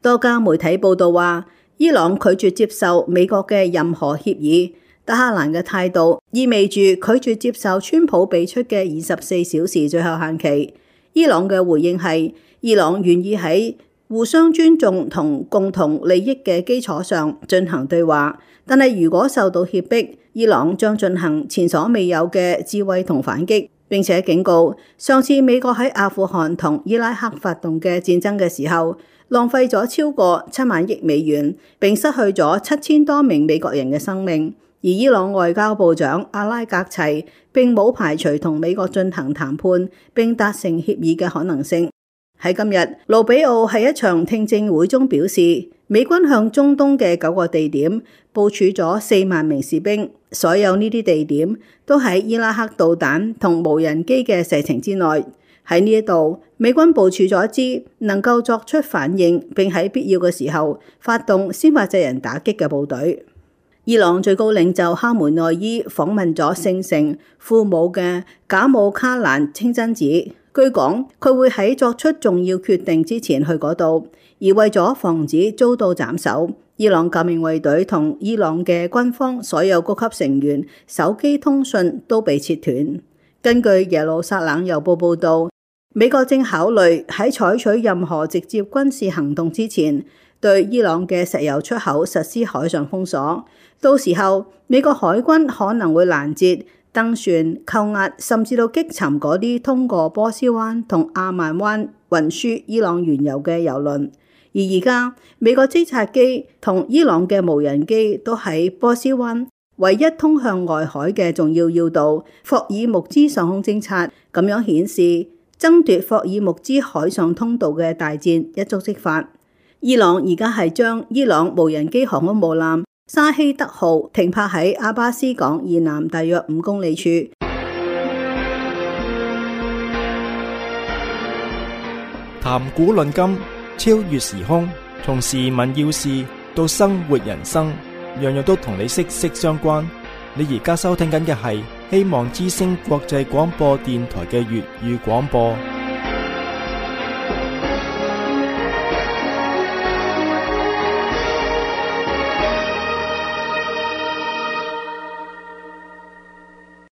Speaker 7: 多家媒體報道話，伊朗拒絕接受美國嘅任何協議。德黑蘭嘅態度意味住拒絕接受川普俾出嘅二十四小時最後限期。伊朗嘅回應係，伊朗願意喺互相尊重同共同利益嘅基礎上進行對話，但係如果受到脅迫，伊朗將進行前所未有嘅智慧同反擊，並且警告，上次美國喺阿富汗同伊拉克發動嘅戰爭嘅時候，浪費咗超過七萬億美元，並失去咗七千多名美國人嘅生命。而伊朗外交部長阿拉格齊並冇排除同美國進行談判並達成協議嘅可能性。喺今日，盧比奧喺一場聽證會中表示，美軍向中東嘅九個地點部署咗四萬名士兵，所有呢啲地點都喺伊拉克導彈同無人機嘅射程之內。喺呢一度，美軍部署咗一支能夠作出反應並喺必要嘅時候發動先發制人打擊嘅部隊。伊朗最高領袖哈梅內伊訪問咗聖城庫姆嘅賈姆卡蘭清真寺，據講佢會喺作出重要決定之前去嗰度，而為咗防止遭到斬首，伊朗革命衛隊同伊朗嘅軍方所有高級成員手機通訊都被切斷。根據耶路撒冷郵報報導，美國正考慮喺採取任何直接軍事行動之前，對伊朗嘅石油出口實施海上封鎖。到時候，美國海軍可能會攔截、登船、扣押，甚至到擊沉嗰啲通過波斯灣同阿曼灣運輸伊朗原油嘅油輪。而而家，美國偵察機同伊朗嘅無人機都喺波斯灣唯一通向外海嘅重要要道霍爾木茲上空偵察，咁樣顯示爭奪霍爾木茲海上通道嘅大戰一觸即發。伊朗而家係將伊朗無人機航空母艦沙希德號停泊喺阿巴斯港以南大約五公里處。
Speaker 1: 談古論今，超越時空，從時聞要事到生活人生，樣樣都同你息息相關。你而家收聽緊嘅係希望之聲國際廣播電台嘅粵語廣播。